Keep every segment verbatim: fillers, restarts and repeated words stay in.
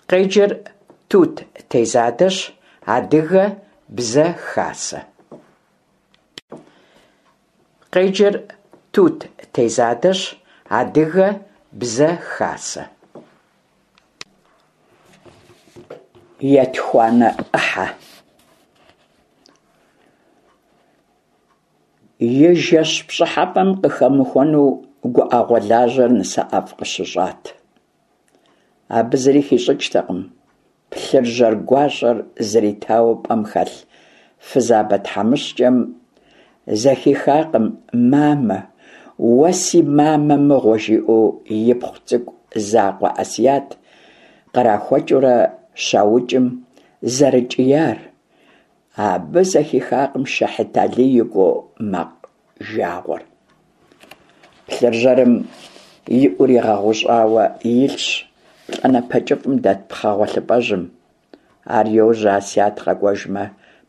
Къеджэр Тут Тезадэщ, Адыгэ Бзэ Хасэ. Къеджэр Тут Тезадэщ, Адыгэ Бзэ Хасэ. Етхуанэ ӏыхьэ. И жэщ пщӏыхьэпӏэм къыхэмыхуэну гуӏэгъуэ лажьэр Нысэӏэфӏ къыщыщӏат. Абы зыри хищӏыкӏтэкъым плъыржьэр гуащӏэр зритауэ пӏэм хэлъ фызабэ тхьэмыщкӏэм зэхихакъым «Мамэ, уэ си мамэ мыгъуэ» жиӏэу ипхъу цӏыкӏу закъуэ Асият кърахуэкӏыурэ щаукӏым зэрыкӏияр, абы зэхихакъым Шэхьыталий и гуо макъ жагъуэр. Плъыржьэрым и ӏур игъэгъущӏауэ илъщ плӏанэпэ кӏыфӏым дэт пхъэ гъуэлъыпӏэжьым. Ар йожьэ Асият къэкӏуэжмэ,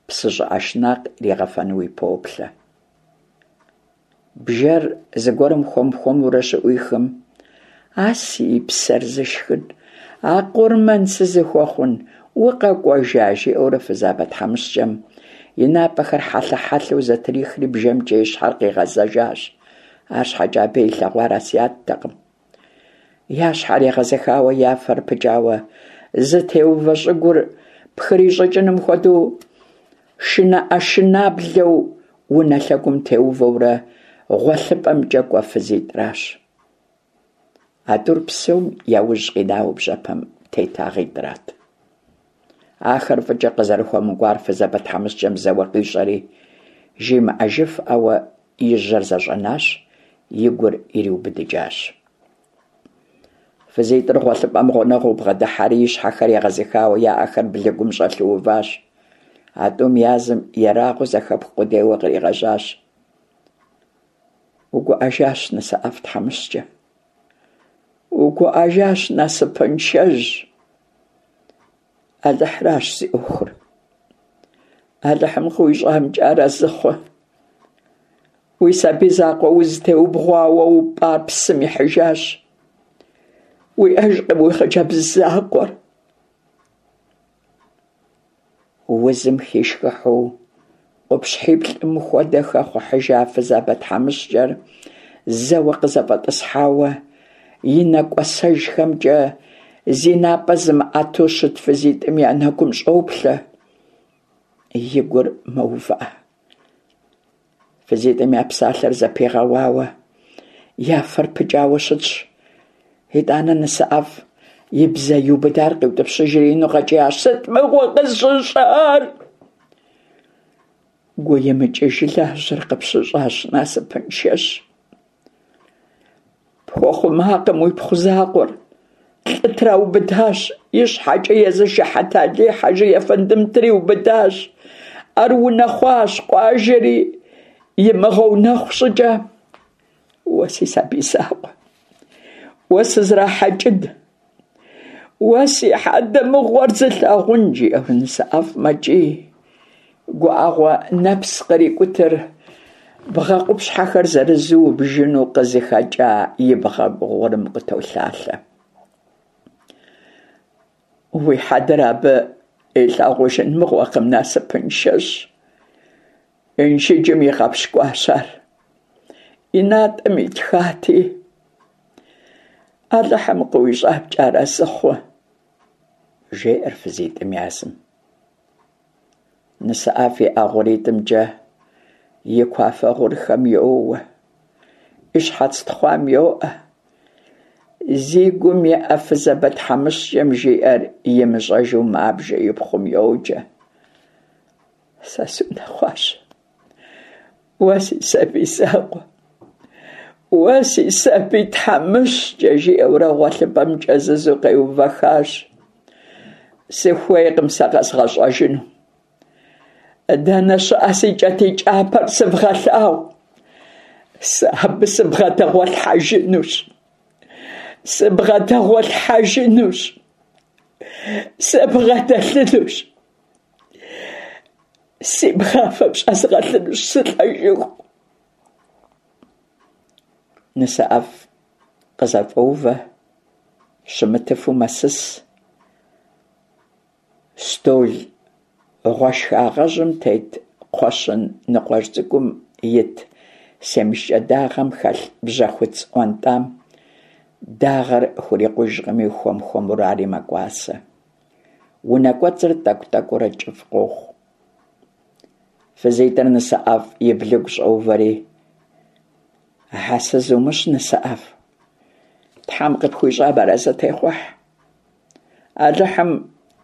псы щӏыӏэ шынакъ иригъэфэнуи поплъэ. Бжэр зыгуэрым хуэм-хуэмурэ щыӏуихым, «А си псэр зышхын, а къурмэн сызыхуэхъун, укъэкӏуэжа?» жиӏэурэ фызабэ тхьэмыщкӏэм и напӏэхэр хьэлъэ-хьэлъэу зэтрихри бжэмкӏэ и щхьэр къигъэзэжащ. Арщхьэкӏэ абы илъэгъуар Асияттэкъым. Я щхьэр егъэзыхауэ, я фэр пыкӏауэ, зытеувэ щӏыгур пхрищӏыкӏыным хуэдэу шынэӏэшынаблэу унэ лъэгум теувэурэ гъуэлъыпӏэмкӏэ кӏуэ фызитӏращ. А тӏур псом я ужь къинауэ бжьэпэм тетагъитӏрат. Ахэр фӏыкӏэ къызэрыхуэмыкӏуар фызабэ тхьэмыщкӏэм зэуэ къищӏэри, жимыӏэжыфӏауэ и жьэр зэщӏэнащ, и гур ириубыдыкӏащ. Фызитӏыр гъуэлъыпӏэм гъунэгъуу бгъэдыхьэри, и щхьэхэр егъэзыхауэ, я ӏэхэр блыгум щӏэлъу уващ. А тӏум язым ерагъыу зэхэпх къудейуэ къригъэжьащ. Угуӏэжащ, Нысэӏэфӏ тхьэмыщкӏэ. Угуӏэжащ, насыпыншэжь. Алыхьыращ зи ӏуэхур. Алыхьым къыуищӏамкӏэ арэзы хъу. Уи сабий закъуэ узытеубгъуауэ упӏар псым ихьыжащ. Уиӏэжкъым уи хъыджэбз закъуэр. Узым хишхыхьу къупщхьиплӏым хуэдэ хэхъухьыжа фызабэ тхьэмыщкӏэр зэуэ къызэфӏэтӏысхьауэ, и нэ кӏуэсэжхэмкӏэ зи напӏэ зымыӏэту щыт фызитӏым я нэгум щӏоплъэ, и гур мэувыӏэ. Фызитӏым я псалъэр зэпигъэуауэ, я фэр пыкӏауэ щытщ. Итӏанэ Нысэӏэфӏ и бзэ иубыдар къиутӏыпщыжри ину къэкӏиящ: «Сыт мыгъуэ къысщыщӏар?» Гуемыкӏыж лажьэр къыпщыщӏащ, насыпыншэжь. Пхуэхъумакъым уипхъу закъуэр, лӏы траубыдащ, и щхьэкӏэ езы Шыхьэталий хьэжы ефэндым триубыдащ. Ар унэхъуащ, къуажэри имыгъэунэхъу щӏыкӏэ. Уэ си сабий закъуэ, уэ сызрахьэкӏын, уэ си хьэдэ мыгъуэр зылъагъун, жиӏэу Нысэӏэфӏ мэкӏий. Гуӏэгъуэ нэпс кърикӏутыр бгъэ къупщхьэхэр зэрызу убжыну къызыхэкӏа и бгъэгу гъурым къытолъалъэ. Уи хьэдэр абы илъагъужын мыгъуэкъым, насыпыншэжь. Инжыджым игъэпщкӏуащ ар. И натӏэм итхати, Алыхьым къыуищӏамкӏэ арэзы хъу, жеӏэр фызитӏым язым. Нысэӏэфӏ и ӏэ гъуритӏымкӏэ и куафэ гъурхэм йоуэ, и щхьэц тхъуам йоӏэ. Зи гум еӏэ фызабэ тхьэмыщкӏэм жиӏэр имыщӏэжу мабжэ, и пхъум йоджэ. Сэ сунэхъуащ. Уэ си сабий закъуэ, уэ си сабий тхьэмыщкӏэ, жиӏэурэ гъуэлъыпӏэм кӏэзызу къеувэхащ. Сыхуейкъым сэ къэзгъэщӏэжыну. Дэнэ щыӏэ си кӏэтӏий кӏапэр сывгъэлъагъу. Сэ абы сыбгъэдэгъуэлъхьэжынущ. Сыбгъэдэгъуэлъхьэжынущ. Сыбгъэдэлъынущ. Си бгъафэм щӏэзгъэлъынущ сылӏэжыху. Нысэӏэфӏ къызэфӏоувэ, щымытыфу мэсыс. Стол гъуэшхуагъэжьым тет кхъуэщын ныкъуэжь цӀыкӀум ит семышкӀэ дагъэм хэлъ бжьэхуц ӀуэнтӀам дагъэр хурикъужкъыми, хуэм-хуэмурэ ари мэкӀуасэ. Унэ кӀуэцӀыр тӀэкӀу-тӀэкӀуурэ кӀыфӀ къохъу. ФызитӀыр НысэӏэфӀ и блыгу щӀоувэри: «Хьэсэ зумыщӀ, НысэӀэфӀ, Тхьэм къыпхуищӀам арэзы техъухь, Алыхьым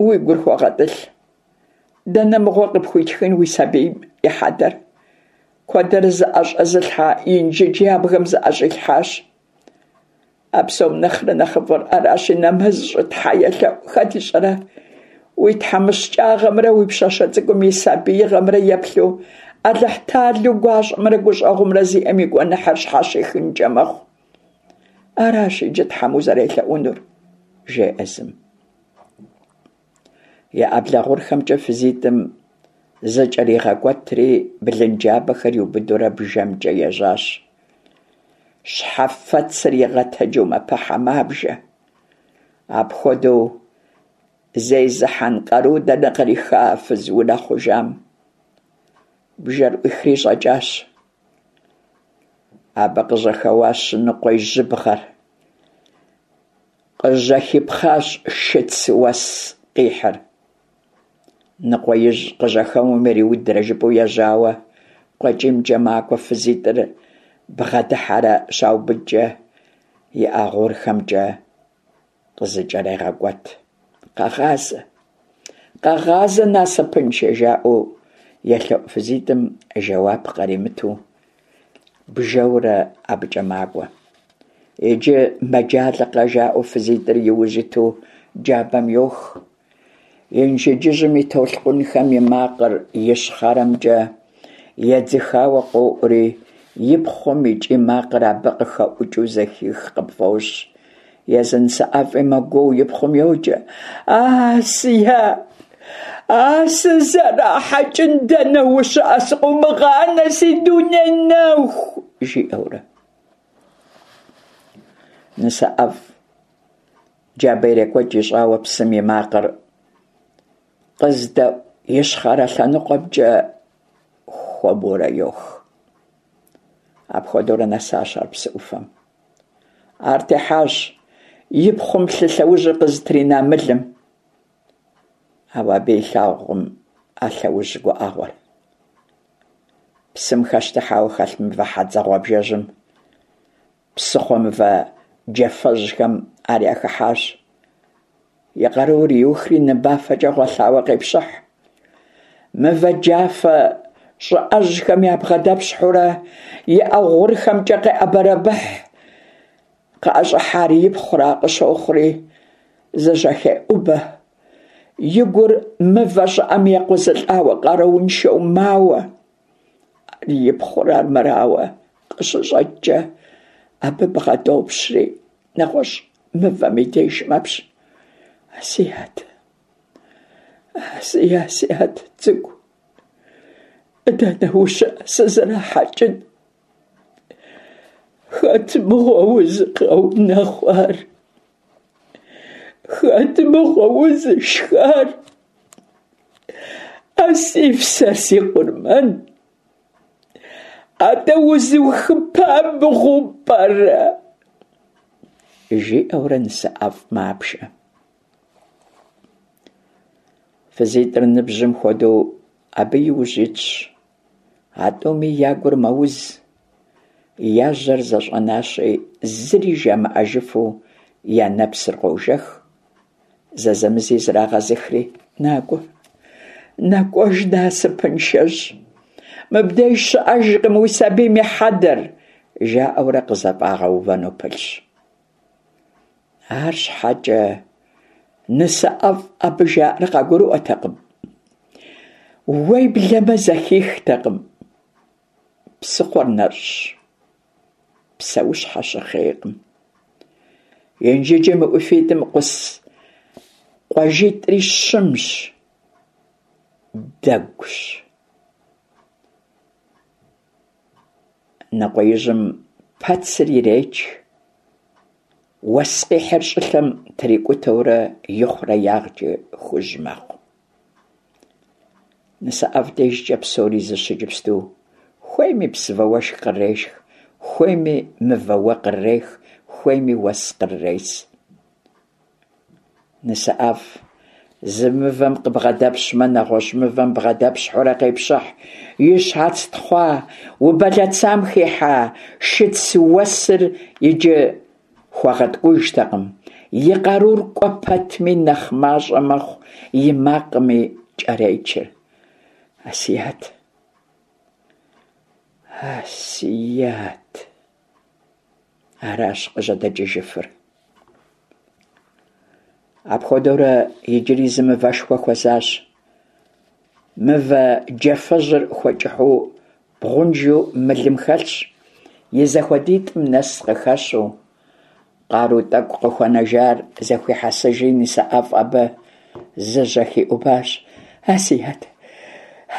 уи гур хуэгъэтӀылъ, дэнэ мыгъуэ къыпхуитхын уи сабийм и хьэдэр, куэдрэ зыӀэщӀэзылъхьа Инжыдж ябгэм зыӀэщӀилъхьащ. А псом нэхърэ нэхъыфӀыр аращи, нэмэз щӀы, тхьэ елъэӀу, хэт ищӀэрэ, уи тхьэмыщкӀагъэмрэ уи пщащэ цӀыкӀум и сабиигъэмрэ еплъу Алыхьталэу гуащӀэмрэ гущӀэгъумрэ зиӀэм и гуэныхьыр щхьэщихынкӀэ мэхъу. Аращ иджы Тхьэм узэрелъэӀунур», – жеӀэ зым. И Ӏэблэ гъурхэмкӀэ фызитӀым зыкӀэригъэкӀуэтри, блынджабэхэр иубыдурэ бжэмкӀэ ежьащ. Щхьэфэцыр игъэтэджу мэпыхьэ, мабжэ. Апхуэдэу зезыхьэн къару дэнэ къриха а фыз унэхъужам? Бжэр Ӏуихри щӀэкӀащ. Абы къыжьэхэуащ ныкъуей жьыбгъэр, къыжьэхипхъащ шыц уэс къихьыр. Ныкъуеижь къыжьэхэуэм ириудрэ жыпӀэу ежьауэ, къуэкӀиймкӀэ макӀуэ, фызитӀыр бгъэдыхьэрэ щаубыдкӀэ, и Ӏэ гъурхэмкӀэ къызыкӀэрегъэкӀуэт. «Къэгъазэ! Къэгъазэ, насыпыншэ!» – жаӀэу елъэӀу фызитӀым жэуап къаримыту, бжэурэ абыкӀэ макӀуэ. Иджы мэджалэкъэ, жаӀэу фызитӀыр и ужь иту джабэм йох. Инжыджыжьым и толъкъунхэм я макъыр ищхъэрэмкӀэ едзыхауэ къоӀури, и пхъум и кӀий макъыр абы къыхэӀукӀыу зэхих къыпфӀощӀ. Езы НысэӀэфӀи мэгуоу, и пхъум йоджэ: «Асият! А сызэрахьэкӀын, дэнэ ущыӀэ, сыкъыумыгъанэ, си дуней нэху!» жиӀэурэ. НысэӀэфӀ джабэ ирекӀуэкӀ ищӀауэ псым и макъыр къыздэӀу ищхъэрэ лъэныкъуэмкӀэ хуэмурэ йох. Апхуэдэурэ нэсащ ар псы Ӏуфэм. Ар техьащ и пхъум лъы лъэужьыр къызытрина мылым. Ауэ абы илъагъукъым а лъэужь гуӀэгъуэр. Псым хэщтыхьауэ хэлъ мывэ хьэдзэ гъуабжэжьым, псыхъуэ мывэ джафэжьхэм ар яхыхьащ. И къарур иухри ныбафэкӀэ гъуэлъауэ къепщыхь. Мывэ джафэ щӀыӀэжьхэм ябгъэдэпщхьэурэ и Ӏэ гъурхэмкӀэ къеӀэбэрэбыхь. КъыӀэщӀыхьар ипхъура къыщохъури, зыжьэхеӀубэ. И гур мывэ щӀыӀэм екъузылӀауэ къарууншэу мауэ. Ар и пхъур армырауэ къыщыщӀэкӀкӀэ, абы бгъэдопщри нэгъуэщӀ мывэм и деж мэпщ. «Асият! Си Асият цӀыкӀу, дэнэ ущыӀэ, сызэрахьэкӀын? Хэт мыгъуэ узыгъэунэхъуар? Хэт мыгъуэ узышхар? А си псэр си къурмэн! АтӀэ узухыпа мыгъуэу пӀэрэ?» жиӀэурэ НысэӀэфӀ мабжэ. ФызитӀыр ныбжьым хуэдэу абы и ужь итщ. А тӀуми я гур мэуз, я жьэр зэщӀэнащи, зыри жамыӀэжыфу я нэпсыр къожэх, зэзэмызи зрагъэзыхри: «НакӀуэ, нэкӀуэж, насыпыншэжь, мыбдеж щыӀэжкъым уи сабийм и хьэдэр!» жаӀэурэ къызэфӀагъэувэну пылъщ. АрщхьэкӀэ НысэӀэфӀ абы жаӀэр къагурыӀуэтэкъым, уеблэмэ зэхихтэкъым. Псыхъуэр нэщӀщ, псэущхьэ щыхъейкъым. Инжыджым и ӀуфитӀым Ӏус къуажитӀри щымщ, дэгущ. Ныкъуеижьым пэцыр иреч, уэс къихьыр щӀылъэм трикӀутэурэ ихъуреягъкӀэ хужь мэхъу. НысэӀэфӀ дежкӀэ псори зыщ иджыпсту: хуейми псывэ уэшх кърешх, хуейми мывэ уэ кърех, хуейми уэс кърес. НысэӀэфӀ зы мывэм къыбгъэдэпщмэ, нэгъуэщӀ мывэм бгъэдэпщхьэурэ къепщыхь, и щхьэц тхъуа убэлэцам хихьа шыц уэсыр иджы хуэгъэткӀужтэкъым, и къарур кӀуэ пэтми нэхъ мащӀэ мэхъу, и макъми кӀэречыр. Асият! Асият! Аращ къыжьэдэкӀыжыфыр. Апхуэдэурэ иджыри зы мывэшхуэ хуэзащ. Мывэ джафэжьыр хуэкӀыхьу бгъунжу мылым хэлъщ, и зэхуэдитӀым нэс къыхэщу. Къару тӀэкӀу къыхуэнэжар зэхуихьэсыжри, НысэӀэфӀ абы зыжьэхиӀубащ: «Асият,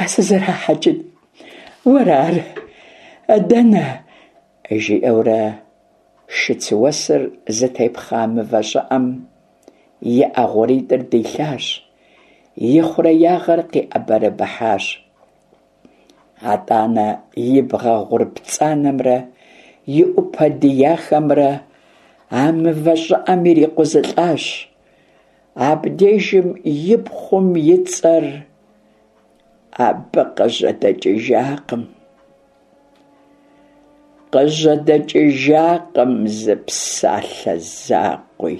а сызэрахьэкӀын, уэра ар? Дэнэ?» жиӀэурэ шыц уэсыр зытепхъа мывэ щӀыӀэм и Ӏэ гъуритӀыр дилъащ, и хъуреягъыр къиӀэбэрэбыхьащ. АтӀанэ и бгъэ гъур пцӀанэмрэ и Ӏупэ дияхэмрэ а мывэ щӀыӀэм ирикъузылӀащ. Абдежым и пхъум и цӀэр абы къыжьэдэкӀыжакъым. КъыжьэдэкӀыжакъым зы псалъэ закъуи.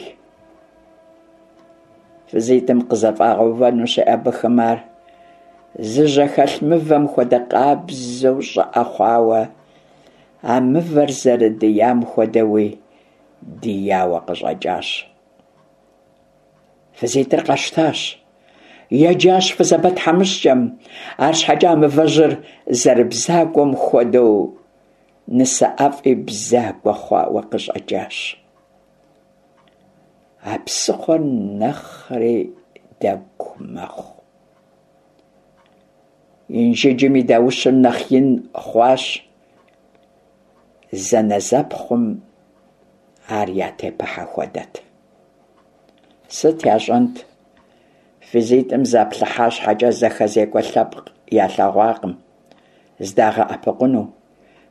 ФызитӀым къызэфӀагъэувэну щеӀэбэхым ар, зыжьэхэлъ мывэм хуэдэ къабзэу щӀыӀэ хъуауэ, а мывэр зэрыдиям хуэдэуи дияуэ къыщӀэкӀащ. ФызитӀыр къэщтащ. Еджащ фызабэ тхьэмыщкӀэм, арщхьэкӀэ а мывэжьыр зэрыбзагуэм хуэдэу НысэӀэфӀи бзагуэ хъуауэ къыщӀэкӀащ. А псыхъуэр нэхъри дэгу мэхъу. Инжыджым и даущыр нэхъ ин хъуащ. Зэнэзэпхъум ар ятепыхьэ хуэдэт. Сыт ящӀэнт, фызитӀым заплъыхьа щхьэкӀэ зэхэзекӀуэ лъэпкъ ялъэгъуакъым, зыдагъэӀэпыкъуну.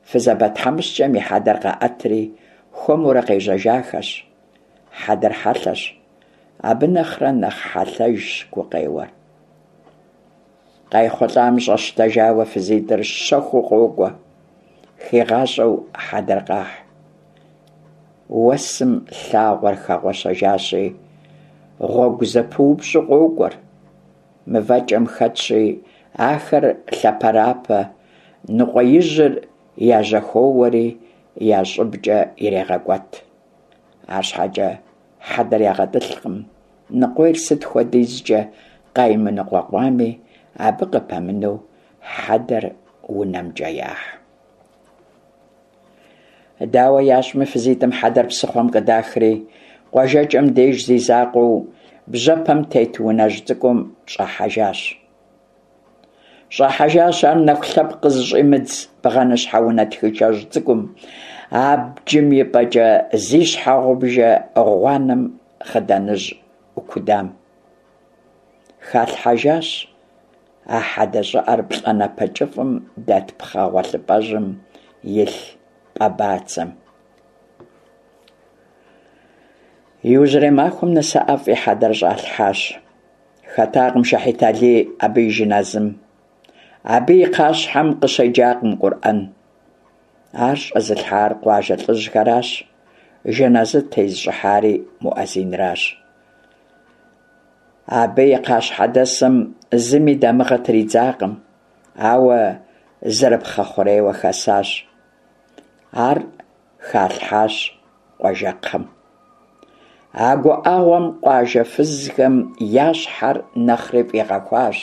Фызабэ тхьэмыщкӀэм и хьэдэр къаӀэтри, хуэмурэ къежьэжахэщ. Хьэдэр хьэлъэщ, абы нэхърэ нэхъ хьэлъэжщ гукъеуэр. КъайхъулӀам щӀэщтэжауэ фызитӀыр щэхуу къокӀуэ, хигъащӀэу хьэдэр къахь. Уэсым лъагъуэр хэгъуэщэжащи, гъуэгу зэпыупщӀу къокӀуэр. МывэкӀэм хэтщи, ахэр лъэпэрапэ, ныкъуеижьыр яжьэхоуэри я щӀыбкӀэ ирегъэкӀуэт. АрщхьэкӀэ хьэдэр ягъэтӀылъкъым, ныкъуейр сыт хуэдизкӀэ къаймыныкъуэкъуами, абы къыпэмынэу хьэдэр унэмкӀэ яхь. Дауэ ящӀми, фызитӀым хьэдэр псыхъуэм къыдахри, къуажэкӀэм деж зи закъуэу бжьэпэм тет унэжь цӀыкӀум щӀахьэжащ. ЩӀахьэжащ ар нэху лъэпкъ къызыщӀимыдз бгъэныщхьэ унэ тхышэжь цӀыкӀум, абджым и пӀэкӀэ зи щхьэгъубжэ гъуанэм хъыданыжь Ӏукудам. Халъхьэжащ а хьэдэ щӀыӀэр плӀанэпэ кӀыфӀым дэт пхъэ гъуэлъыпӀэжьым илъ пӀэ бацэм. Иужьрей махуэм НысэӀэфӀ и хьэдэр щӀалъхьащ. Хэтакъым Шэхьит Алий абы и жыназым. Абы и кхъащхьэм къыщеджакъым къурӀэн. Ар щӀэзылъхьар къуажэ лӀыжьхэращ, жэназы тезыщӀыхьари муӀэзинращ. Абы и кхъащхьэдэсым зыми дамыгъэ тридзакъым, ауэ зэрыпхъэ хъурейуэ хасащ. Ар халъхьащ къуажэкхъэм. А гуӀэгъуэм къуажэ фызхэм я щхьэр нэхъри фӀигъэхуащ.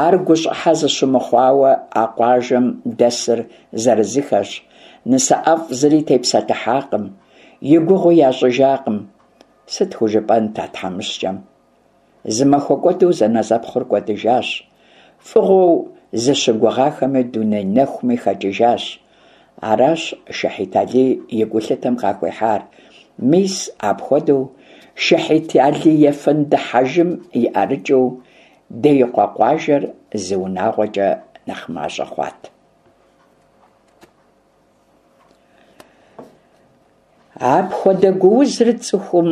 Ар гущӀыхьэ зыщымыхъуауэ а къуажэм дэсыр зырызыххэщ. НысэӀэфӀ зыри тепсэлъыхьакъым, и гугъуи ящӀыжакъым. Сыт хужыпӀэнт а тхьэмыщкӀэм? Зы махуэ кӀуэду зэнэзэпхъур кӀуэдыжащ. ФӀыгъуэу зыщыгугъахэми дуней нэхуми хэкӀыжащ. Аращ Шэхьит Алий и гулъытэм къахуихьар. Мис апхуэдэу Шэхьит Алий ефэнды хьэжым и ӀэрыкӀыу Деикъуэ къуажэр зы унагъуэкӏэ нэхъ мащӏэ хъуат. Апхуэдэ гуузыр цӏыхум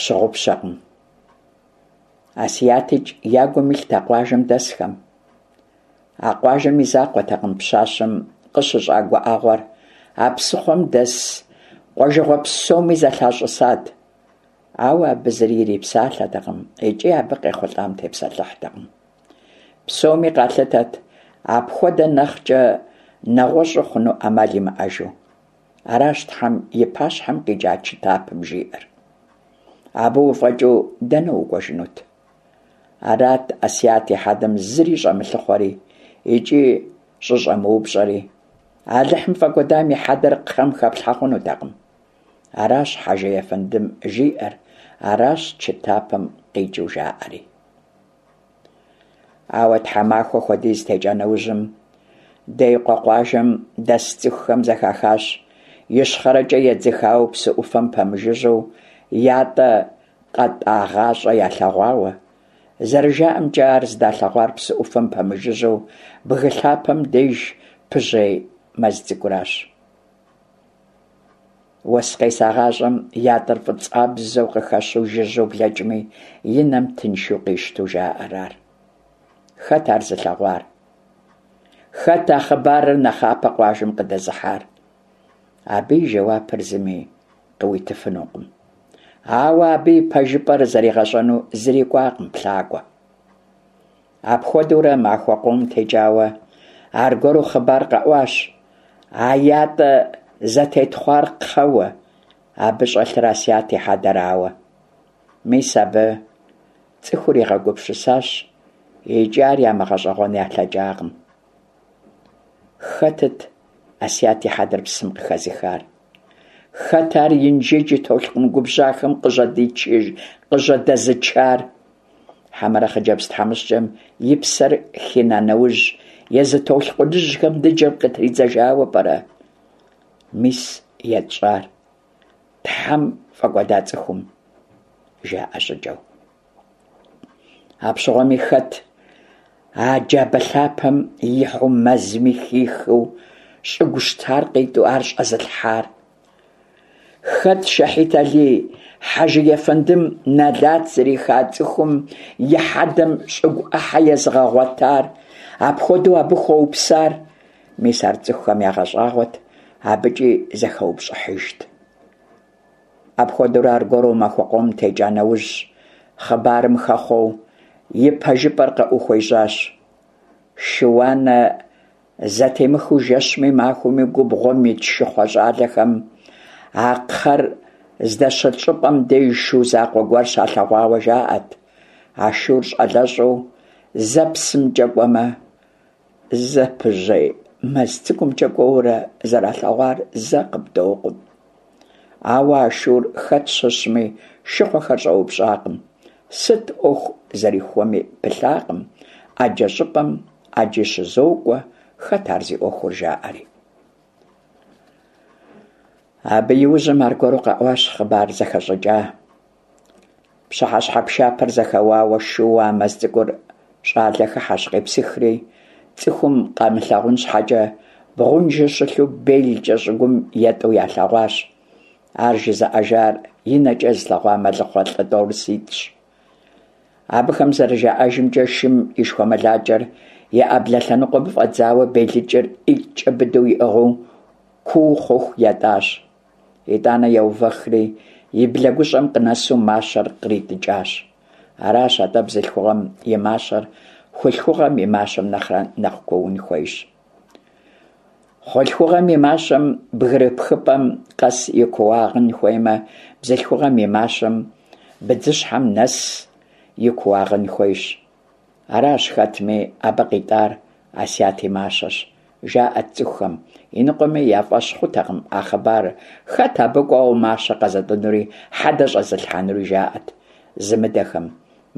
щыгъупщэкъым. Асиятикӏ я гум илът а къуажэм дэсхэм. А къуажэм и закъуэтэкъым пщащэм къыщыщӏа гуӏэгъуэр, а псыхъуэм дэс къуажэгъуэ псоми зэлъащӏысат. Ауэ абы зыри ирипсалъэтэкъым икӏи абы къехъулӏам тепсэлъыхьтэкъым. Псоми къалъытэт апхуэдэ нэхъкӏэ нэгъуэщӏу хъуну ӏэмал имыӏэжу. Аращ Тхьэм и пащхьэм къикӏа чытапым жиӏэр. Абы уфӏэкӏыу дэнэ укӏуэжынут? Арат Асият и хьэдэм зыри щӏэмылъыхъуэри икӏи щӏыщӏэмыупщӏэри. Алыхьым фӏэкӏуэдам и хьэдэр кхъэм хэплъхьэ хъунутэкъым. Аращ хьэжы ефэндым жиӏэр, аращ чытапым къикӏыу жаӏэри. Ауэ тхьэмахуэ хуэдиз текӏа нэужьым Деикъуэ къуажэм дэс цӏыхухэм зэхахащ ищхъэрэкӏэ едзыхауэ псы ӏуфэм пэмыжыжьэу ятӏэ къэтӏагъащӏэ ялъэгъуауэ. Зэрыжаӏэмкӏэ, ар зыдалъэгъуар псы ӏуфэм пэмыжыжьэу бгы лъапэм деж пыжьей мэз цӏыкӏуращ. Уэс къесагъащӏэм ятӏэр фӏыцӏабзэу къыхэщу жыжьэу блэкӏми, и нэм тыншу къищту жаӏэр ар. Хэт ар зылъэгъуар? Хэт а хъыбарыр нэхъапэ къуажэм къыдэзыхьар? Абы и жэуапыр зыми къыуитыфынукъым. Ауэ абы и пэжыпӏэр зэригъэщӏэну зыри кӏуакъым плъакӏуэ. Апхуэдэурэ махуэ къом текӏауэ аргуэру хъыбар къэӏуащ. А ятӏэ зэтетхъуар кхъэуэ, абы щӏэлъыр Асият и хьэдэрауэ. Мис абы цӏыхур игъэгупсысащ икӏи ар ямыгъэщӏэгъуэн ялъэкӏакъым. Хэтыт Асият и хьэдэр псым къыхэзыхар? Хэт ар Инжыдж и толъкъун губжьахэм къыжьэдэзычар? Хьэмэрэ хъыджэбз тхьэмыщкӏэм и псэр хина нэужь езы толъкъуныжьхэм ныджэм къытридзэжауэ пӏэрэ? Мис етщӏар Тхьэм фӏэкӏуэда цӏыхум, жаӏэ щӏыкӏэу. Апщыгъуэми хэт а джабэ лъапэм ихьу мэзми хихыу щӏыгу щтар къитӏу ар щӏэзылъхьар? Хэт Шэхьит Алий хьэжы ефэндым нэлат зриха цӏыхум и хьэдэм щӏыгу ӏыхьэ езыгъэгъуэтар, апхуэдэу абы хуэупсар? Мис ар цӏыхухэм ягъэщӏагъуэт, абыкӏи зэхэупщӏыхьыжт. Апхуэдэурэ аргуэру махуэ къом текӏа нэужь, хъыбарым хэхъуэу и пэжыпӏэр къыӏухуещӏащ. Шыуанэ зэтемыхыу жэщми махуэми губгъуэм ит шыхъуэ щӏалэхэм а кхъэр здэщылъ щӏыпӏэм деж шу закъуэ гуэр щалъэгъуауэ жаӏэт. А шур щӏалэщӏэу зэ псымкӏэ кӏуэмэ, зэ пыжьей мэз цӏыкӏумкӏэ кӏуэурэ зэралъэгъуар зэ къыбдокъум. Ауэ а шур хэт щыщми шыхъуэхэр щӏэупщӏакъым, сыт ӏуэху зэрихуэми пылъакъым, ӏэджэ щӏыпӏэм ӏэджи щызокӏуэ, хэт ар зи ӏуэхур жаӏэри. Абы иужьым аргуэру къэӏуащ хъыбар зэхэщӏыкӏа. Пщыхьэщхьэ пшапэр зэхэуауэ шууэ а мэз цӏыкӏур щӏалэ хыхьэщ къепсыхри, цӏыхум къамылъагъун щхьэкӏэ бгъунжу щылъу белкӏэ щӏыгум етӏу ялъэгъуащ. Ар жызыӏэжар и нэкӏэ зылъэгъуа мэлыхъуэ лӏы тӏорыситӏщ. Абыхэм зэрыжаӏэжымкӏэ, шым и шхуэмылакӏэр и ӏэблэ лъэныкъуэм фӏэдзауэ белыкӏыр ӏитӏкӏэ быдэу иӏыгъыу куу хъуху етӏащ. Итӏанэ еувэхри и блэгущӏэм къынэсу мащэр къритӏыкӏащ. Аращ атӏэ бзылъхугъэм и мащэр хъулъхугъэм и мащэм нэхърэ нэхъ куун хуейщ. Хъулъхугъэм и мащэм бгырыпхыпӏэм къэс и кууагъын хуеймэ, бзылъхугъэм и мащэм быдзыщхьэм нэс и кууагъын хуейщ. Аращ хэтми абы къитӏар Асият и мащэщ, жаӏэт цӏыхухэм, иныкъуэми я фӏэщ хъутэкъым а хъыбарыр, хэт абы кӏуэуэ мащэ къэзытӏынури, хьэдэ щӏэзылъхьэнури, жаӏэт зымыдэхэм.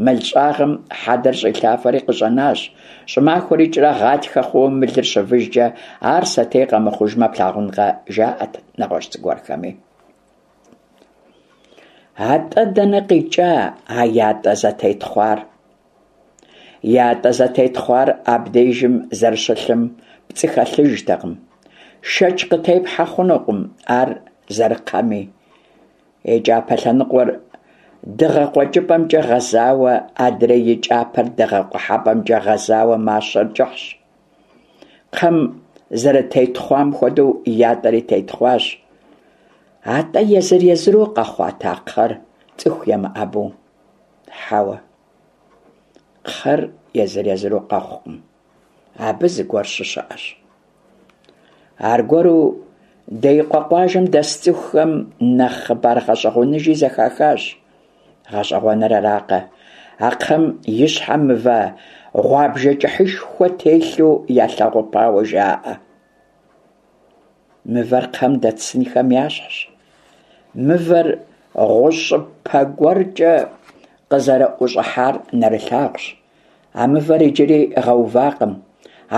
Мыл щӏагъым хьэдэр щӏилъафэри къыщӏэнащ. Щӏымахуэр икӏрэ гъатхэ хъууэ мылыр щывыжкӏэ, ар сэтей къэмыхъужмэ плъагъункъэ, жаӏэт нэгъуэщӏ зыгуэрхэми. Атӏэ дэнэ къикӏа а ятӏэ зэтетхъуар? Ятӏэ зэтетхъуар абдежым зэрыщылъым пцӏы хэлъыжтэкъым. Шэч къытепхьэ хъунукъым ар зэрыкхъэми. И кӏапэ лъэныкъуэр дыгъэ къуэкӏыпӏэмкӏэ гъэзауэ, адрей и кӏапэр дыгъэ къухьэпӏэмкӏэ гъэзауэ мащэр кӏыхьщ. Кхъэм зэрытетхъуам хуэдэу ятӏэри тетхъуащ. Атӏэ езыр-езыру къэхъуат а кхъэр, цӏыху емыӏэбэу? Хьэуэ, кхъэр езыр-езыру къэхъукъым, абы зыгуэр щыщыӏэщ. Аргуэру Деикъуэ къуажэм дэс цӏыхухэм нэхъ хъыбар гъэщӏэгъуэныжи зэхахащ. Гъэщӏэгъуэныр аракъэ, а кхъэм и щхьэм мывэ гъуабжэ кӏыхьышхуэ телъу ялъэгъупауэ жаӏэ. Мывэр кхъэм дэт сынхэм ящхьщ. Мывэр гъущӏыпэ гуэркӏэ къызэрыӏущӏыхьар нэрылъагъущ. А мывэр иджыри гъэувакъым,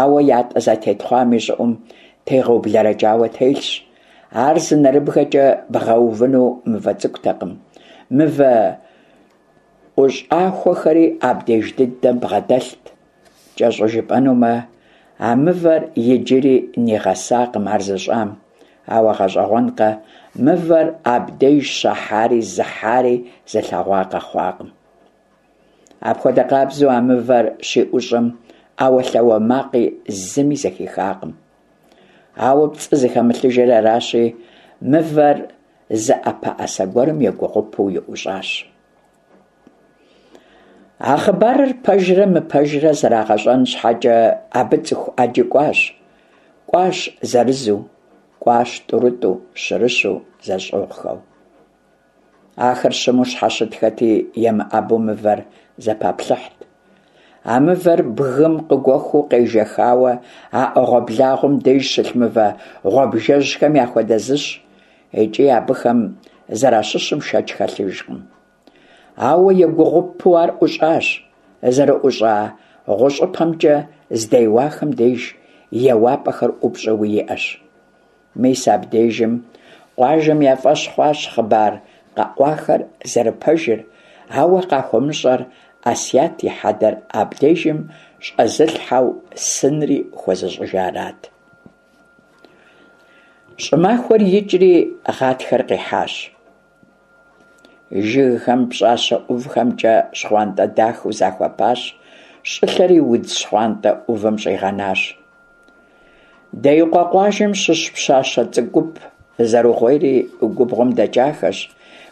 ауэ ятӏэ зэтетхъуам и щӏыӏум тегъэублэрэкӏауэ телъщ. Ар зы нэрыбгэкӏэ бгъэувыну мывэ цӏыкӏутэкъым. Мывэ ӏущӏахуэхэри абдеж дыдэм бгъэдэлът. Кӏэщӏу жыпӏэнумэ, а мывэр иджыри нигъэсакъым ар зыщӏам. Ауэ гъэщӏэгъуэнкъэ, мывэр абдеж щахьари зыхьари зылъэгъуа къэхъуакъым. Апхуэдэ къабзэу а мывэр щиӏущӏэм ӏэуэлъауэ макъи зыми зэхихакъым. Ауэ пцӏы зыхэмылъыжыр аращи, мывэр зы ӏэпэӏэсэ гуэрым егугъупэу иӏущӏащ. А хъыбарыр пэжрэ мыпэжрэ зэрагъэщӏэн щхьэкӏэ абы цӏыху ӏэджи кӏуащ. Кӏуащ зырызу, кӏуащ тӏурытӏу, щырыщу, зэщӏыгъухэу. Ахэр щыму щхьэщытхэти, емыӏэбэу мывэр зэпаплъыхьт. А мывэр бгым къыгуэхуу къежэхауэ а ӏэгъуэблагъуэм деж щылъ мывэ гъуабжэжьхэм яхуэдэ зыщ, икӏи абыхэм зэращыщым шэч хэлъыжкъым. Ауэ егугъупэу ар ӏущӏащ. Зэрыӏущӏа гъущӏыпэмкӏэ здеуахэм деж еуапӏэхэр ӏупщӏэуи иӏэщ. Мис абдежым къуажэм я фӏэщ хъуащ хъыбар къэӏуахэр зэрыпэжыр, ауэ къахуэмыщӏэр Асият и хьэдэр абдежым щӏэзылъхьэу сынри хуэзыщӏыжарат. Щӏымахуэр икӏри гъатхэр къихьащ. Жыгхэм пщӏащэ ӏувхэмкӏэ щхъуантӏэ дахэу захуэпащ, щӏылъэри удз щхъуантӏэ ӏувым щӏигъэнащ. Деикъуэ къуажэм щыщ пщащэ цӏыкӏу гуп зэругъуейри губгъуэм дэкӏахэщ,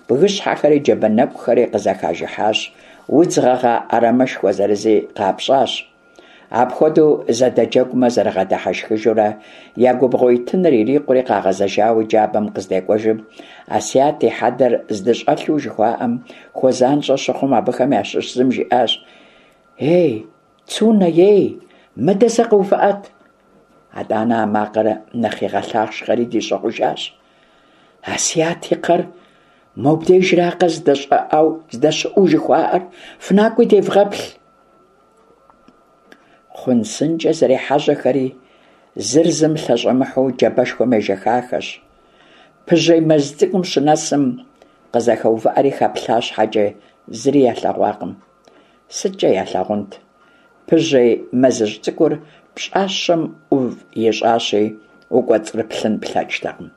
бгыщхьэхэри джабэ нэкӏухэри къызэхажыхьащ, удз гъэгъа ӏэрамэшхуэ зырызи къапщӏащ. Апхуэдэу зэдэджэгумэ зэрыгъэдыхьэшхыжурэ я губгъуэ итыныр ирикъури къагъэзэжауэ джабэм къыздекӏуэжым, Асият и хьэдэр здыщӏэлъу жыхуаӏэм хуэзанщӏэ щыхъум, абыхэм ящыщ зым жиӏащ: «Ей, Цунэ, ей, мыдэ зэ къэувыӏэт!» Атӏанэ а макъыр нэхъ игъэлъахъшэри дищӏыгъужащ: «Асият и кхъэр мобдежракъэ здэщӏыӏэу здэщыӏэу жыхуаӏэр, фынакӏуи девгъэплъ!» Хъун-сынкӏэ зэрехьэжьэхэри, зыр зым лъэщӏэмыхьэу джабэшхуэм ежэхахэщ. Пыжьей мэз цӏыкӏум щынэсым, къызэхэувыӏэри хэплъа щхьэкӏэ, зыри ялъэгъуакъым. СыткӀэ ялъагъунт? Пыжьей мэзыжь цӏыкӏур пщӏащэм ӏув ищӏащи, укӏуэцӏрыплъын плъэкӏтэкъым.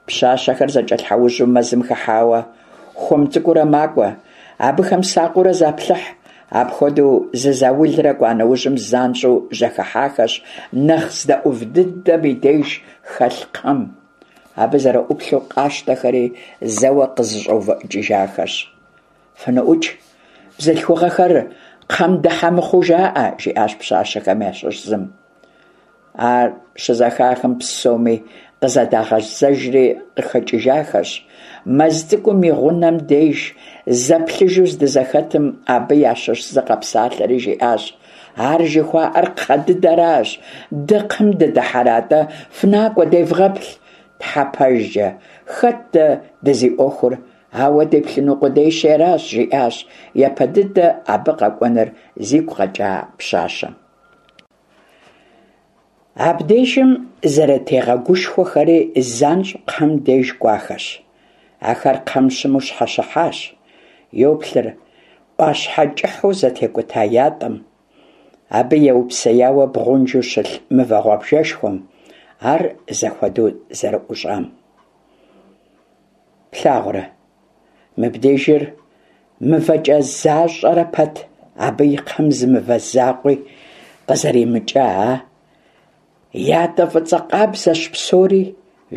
Пщащэхэр зэкӏэлъхьэужьу мэзым хыхьауэ, хуэм цӏыкӏуурэ макӏуэ, абыхэм сакъыурэ заплъыхь. Апхуэдэу зы заулрэ кӏуа нэужьым занщӏэу жьэхыхьахэщ нэхъ здэӏув дыдэм и деж хэлъ кхъэм. Абы зэрыӏуплъэу къащтэхэри зэуэ къызэщӏэувыӏыкӏыжахэщ. «ФыныӀукӏ, бзылъхугъэхэр кхъэм дыхьэ мыхъуу жаӏэ», – жиӏащ пщащэхэм ящыщ зым. Ар щызэхахым, псоми къызэдагъэзэжри къыхэкӏыжахэщ. Мэз цӏыкӏум и гъунэм деж зэплъыжу здызэхэтым, абы ящыщ зы къэпсалъэри жиӏащ: «Ар жыхуаӏэр кхъэ дыдэращ, дэ кхъэм дыдыхьэрэ атӏэ, фынакӏуэ девгъэплъ, тхьэ пэжкӏэ, хэт дэ дызиӏуэхур, ауэ деплъыну къудейщи аращ», – жиӏащ япэ дыдэ абы къэкӏуэныр зигу къэкӏа пщащэм. Абдежым зэрытегъэгушхуэхэри занщӏэу кхъэм деж кӏуахэщ. Ахэр кхъэм щыму щхьэщыхьащ. Йоплъыр, ӏуащхьэ кӏыхьу зэтекӏута ятӏэм, абы еупсеяуэ бгъунжу щылъ мывэ гъуабжэшхуэм, ар зэхуэдэу зэрыӀущӀам. Плъагъурэ, мыбдежыр мывэкӀэ защӀэрэ пэт, абы и кхъэм зы мывэ закъуи къызэримыкӀа, а? ЯтӀэ фӀыцӀэ къабзэщ псори,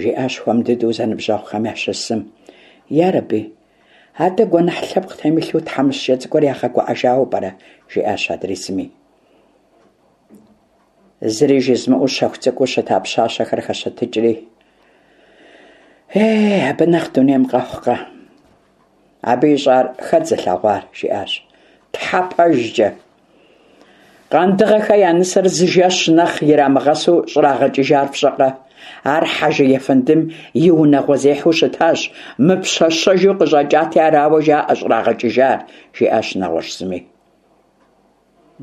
жиӀащ хуэм дыдэу зэныбжьэгъухэм ящыщ зым. Ярэби, атӀэ гуэныхь лъэпкъ темылъу тхьэмыщкӀэ цӀыкӀур ягъэгуӀэжауэ пӀэрэ? жиӀащ адрей зыми. Зыри жызымыӀэу щэху цӀыкӀуу щыта пщащэхэр хэщэтыкӀри, «Ей, абы нэхъ дунейм къэхъукъэ? Абы ищӀар хэт зылъэгъуар?» жиӀащ. Тхьэ пэжкӀэ! Къандыгъэхэ я нысэр зы жэщ нэхъ ирамыгъэсу щӀрагъэкӀыжар фщӀэкъэ? Ар Хьэжы ефэндым и унагъуэзехьэу щытащ, мыпщэщэжу къыщӀэкӀати, арауэ жаӀэ щӀрагъэкӀыжар, жиӀащ нэгъуэщӀ зыми.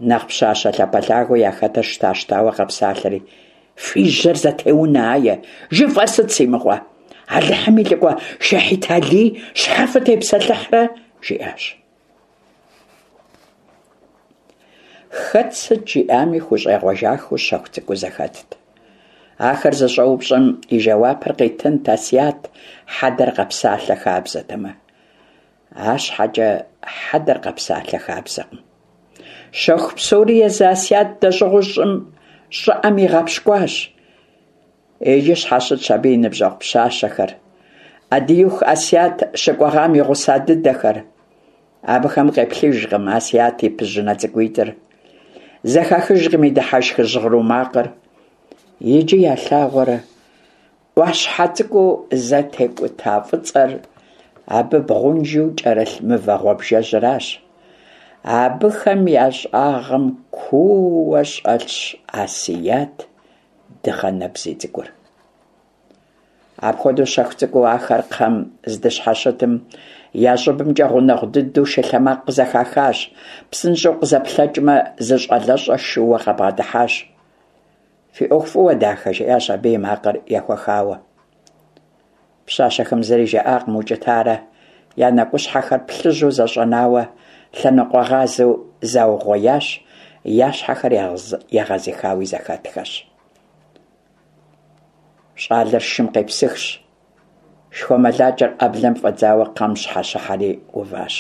Нэхъ пщащэ лъапэлъагэу яхэтыр щтащтауэ къэпсалъэри, «Фи жьэр зэтеунэ, ае! ЖыфӀэр сыт, си мыгъуэ? Алыхьым и лӀыкӀуэ Шэхьит Алий щхьэ фытепсэлъыхьрэ?» жиӀащ. Хэт сыт жиӀами хущӀегъуэжахэу щэху цӀыкӀуу зэхэтт. Ахэр зыщӀэупщӀэм и жэуапыр къитынт Асият хьэдэр къэпсалъэ хабзэтэмэ. АрщхьэкӀэ хьэдэр къэпсалъэ хабзэкъым. Щэху псори езы Асият дэщӀыгъуу щӀым щӀыӀэм игъэпщкӀуащ. Иджы щхьэщытщ абы и ныбжьэгъу пщащэхэр, Ӏэдииху Асият щыкӀуэгъам и гъуса дыдэхэр. Абыхэм къеплъыжкъым Асият и пыжьынэ цӀыкӀуитӀыр, зэхахыжкъым и дыхьэшх жьгъыру макъыр. Иджы ялъагъур Ӏуащхьэ цӀыкӀуу зэтекӀута фӀыцӀэр, абы бгъунжу кӀэрылъ мывэ гъуабжэжьыращ. Абыхэм я щӀагъым куууэ щӀэлъщ Асият дыгъэ нэбзий цӀыкӀур. Апхуэдэу щэху цӀыкӀуу ахэр кхъэм здыщхьэщытым, я щӀыбымкӀэ гъунэгъу дыдэу шылъэмакъ къызэхахащ. ПсынщӀэу къызэплъэкӀмэ, зы щӀалэщӀэ шууэ къабгъэдыхьащ. «Фи Ӏуэху фӀыуэ, дахэ», жиӀащ абы и макъыр ехуэхауэ. Пщащэхэм зыри жаӀакъым укӀытарэ, я нэкӀущхьэхэр плъыжьу зэщӀэнауэ, лъэныкъуэгъазэу заугъуеящ, я щхьэхэр егъэзыхауи зэхэтхэщ. ЩӀалэр шым къепсыхщ, шхуэмылакӀэр Ӏэблэм фӀэдзауэ кхъэм щхьэщыхьэри уващ.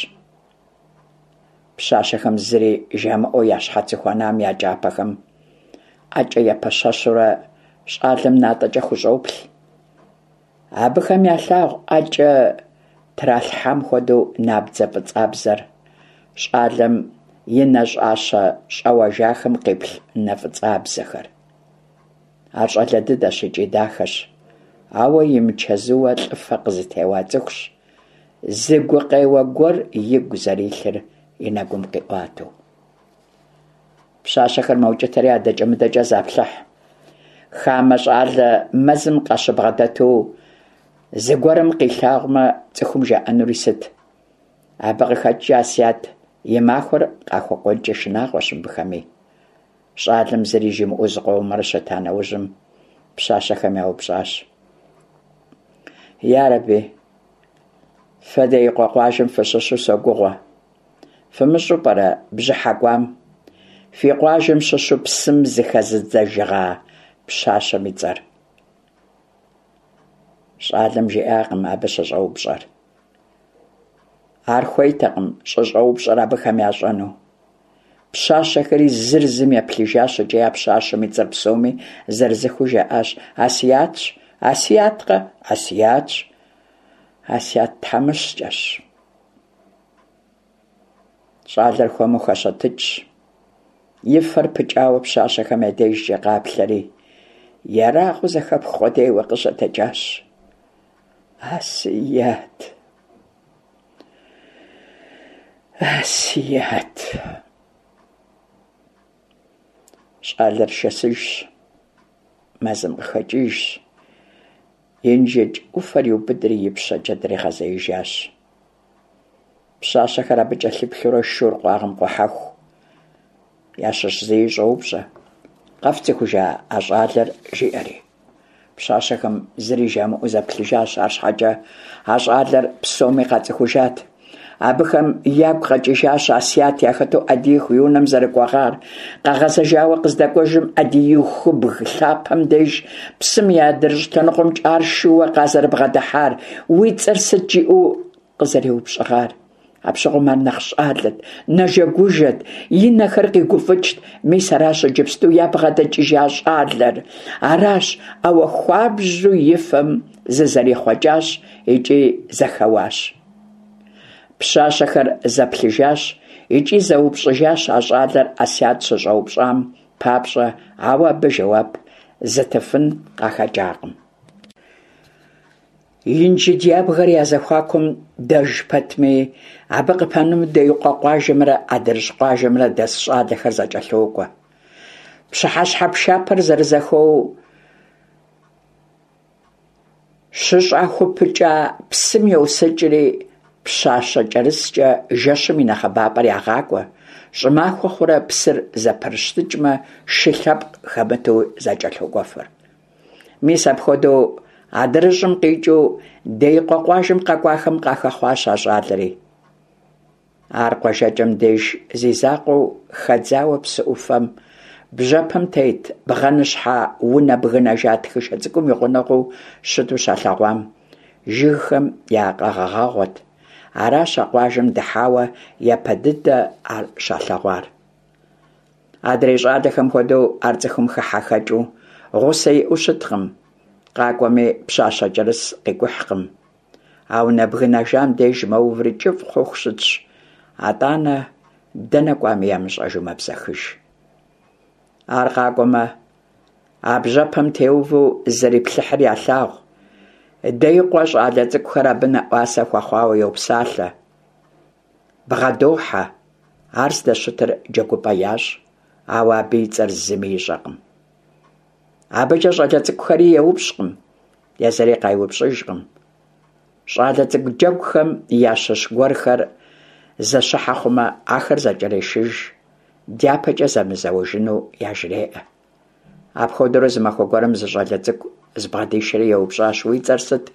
Пщащэхэм зыри жамыӀэу я щхьэцыхуэнам я кӀапэхэм ӀэкӀэ епэщэщурэ щӀалэм натӀэкӀэ хущӀоплъ. Абыхэм ялъагъу ӀэкӀэ тралъхьам хуэдэу набдзэ фӀыцӀабзэр, щӀалэм и нэщӀащэ щӀэуэжахэм къиплъ нэ фӀыцӀабзэхэр. Ар щӀалэ дыдэщ икӀи дахэщ, ауэ имычэзууэ лӀыфэ къызытеуа цӀыхущ, зы гукъеуэ гуэр игу зэрилъыр и нэгум къиӀуатэу. Пщащэхэр мэукӀытэри адэкӀэ-мыдэкӀэ заплъыхь. Хамэ щӀалэ мэзым къащыбгъэдэту зыгуэрым къилъагъумэ, цӀыхум жаӀэнури сыт? Абы къыхэкӀкӀэ Асият и махуэр къахуэкӀуэнкӀи шынагъуэщ мыбыхэми. ЩӀалэм зыри жимыӀэу зыкъомрэ щыта нэужьым пщащэхэм яупщӀащ: «Ярэби, фэ Деикъуэ къуажэм фыщыщу согугъэ. ФымыщӀэу пӀэрэ бжьыхьэ кӀуам фи къуажэм щыщу псым зыхэзыдзэжыгъа пщащэм и цӀэр?» ЩӀалэм жиӀакъым абы щыщӀэупщӀэр. Ар хуейтэкъым щӀыщӀэупщӀэр абыхэм ящӀэну. Пщащэхэри зыр зым еплъыжащ икӀи а пщащэм и цӀэр псоми зырызыххэу жаӀащ: «Асиятщ! Асияткъэ? Асиятщ! Асият тхьэмыщкӀэщ!» ЩӀалэр хуэму хэщэтыкӀщ, и фэр пыкӀауэ пщащэхэм я дежкӀэ къаплъэри, ерагъыу зэхэпх къудейуэ къыщытэджащ: «Асият! Асият!» ЩӀалэр шэсыжщ, мэзым къыхэкӀыжщ, Инжыдж Ӏуфэр иубыдри ипщэкӀэ дригъэзеижащ. Пщащэхэр абы кӀэлъыплъурэ шур къуагъым къухьэху, ящыщ зыи щӀоупщӀэ: «КъэфцӀыхужа а щӀалэр?» жиӀэри. Пщащэхэм зыри жамыӀэу зэплъыжащ, арщхьэкӀэ а щӀалэр псоми къацӀыхужат. Абыхэм ягу къэкӀыжащ Асят яхэту Ӏэдииху и унэм зэрыкӀуэгъар, къагъэзэжауэ къыздэкӀуэжым Ӏэдиихубг лъапэм деж псым и адрыщӀ лъэныкъуэмкӀэ ар шууэ къазэрыбгъэдыхьар, уи цӀэр сыт жиӀэу къызэреупщӀыгъар. Апщыгъуэм ар нэхъ щӀалэт, нэжэгужэт, и нэхэр къигуфӀыкӀт. Мис аращ иджыпсту ябгъэдэкӀыжа щӀалэр. Аращ, ауэ хуабжьу и фэм зызэрихъуэкӀащ икӀи зэхэуащ. Пщащэхэр зэплъыжащ икӀи зэупщӀыжащ а щӀалэр Асят щыщӀэупщӀам папщӀэ, ауэ абы жэуап зытыфын къахэкӀакъым. Инжыдж ябгэр я зэхуакум дэж пэтми, абы къыпэну Деикъуэ къуажэмрэ АдрыщӀ къуажэмрэ дэс щӀалэхэр зэкӀэлъокӀуэ. Пщыхьэщхьэ пшапэр зэрызэхэуэу щыщӀахупыкӀа псым йосыкӀри, пщащэкӀэрыскӀэ жэщым и нэхъыбапӀэр ягъакӀуэ, щӀымахуэ хъурэ псыр зэпрыщтыкӀмэ, шы лъэпкъ хэмыту зэкӀэлъокӀуэфыр. Мис апхуэдэу АдрыщӀым къикӀыу Деикъуэ къуажэм къэкӀуахэм къахэхъуащ а щӀалэри. Ар къуажэкӀэм деж зи закъуэу хэдзауэ псы Ӏуфэм бжьэпэм тет бгъэныщхьэ унэ бгынэжа тхышэ цӀыкӀум и гъунэгъуу щыту щалъэгъуам, жыгхэм я къэгъэгъэгъуэт. Аращ а къуажэм дыхьауэ япэ дыдэ ар щалъэгъуар. Адрей щӀалэхэм хуэдэу ар цӀыхум хыхьэ-хэкӀыу, гъусэ иӀэу щыткъым, къакӀуэми пщащэкӀэрыс къикӀухькъым. А унэ бгынэжам деж мэуври кӀыфӀ хъуху щытщ, атӀанэ дэнэ кӀуами ямыщӀэжу мэбзэхыж. Ар къакӀуэмэ, а бжьэпэм теувэу зэриплъыхьыр ялъагъу. Деикъуэ щӀалэ цӀыкӀухэр абы нэӀуасэ хуэхъуауэ йопсалъэ, бгъэдохьэ, ар здэщытыр джэгупӀэ ящӀ, ауэ абы и цӀэр зыми ищӀэкъым. АбыкӀэ щӀалэ цӀыкӀухэри еупщӀкъым, езыри къайупщӀыжкъым. ЩӀалэ цӀыкӀу джэгухэм ящыщ гуэрхэр зэщыхьэ хъумэ, ахэр зэкӀэрешыж, дяпэкӀэ зэмызэуэжыну яжреӀэ. Апхуэдэурэ зы махуэ гуэрым зы щӀалэ цӀыкӀу збгъэдишэри еупщӀащ: «Уи цӀэр сыт?»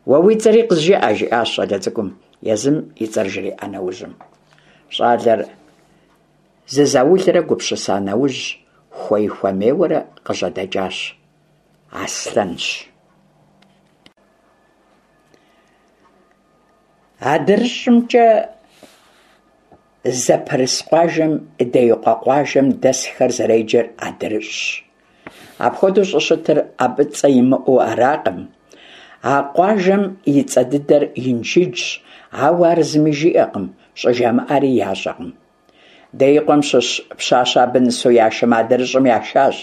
«Уэ уи цӀэри къызжыӀэ», жиӀащ щӀалэ цӀыкӀум, езым и цӀэр жриӀа нэужьым. ЩӀалэр зы заулрэ гупсыса нэужь, хуей-хуэмейуэрэ къыжьэдэкӀащ: «Аслъэнщ». АдрыщӀымкӀэ зэпырыс къуажэм Деикъуэ къуажэм дэсхэр зэреджэр АдрыщӀщ. Апхуэдэу щӀыщытыр абы цӀэ имыӀэу аракъым. А къуажэм и цӀэ дыдэр Инжыджщ, ауэ ар зыми жиӀэкъым, щӀыжамыӀари ящӀэкъым. Деикъуэм щыщ пщащэ абы нысэу яшэмэ, АдрыщӀым яшащ,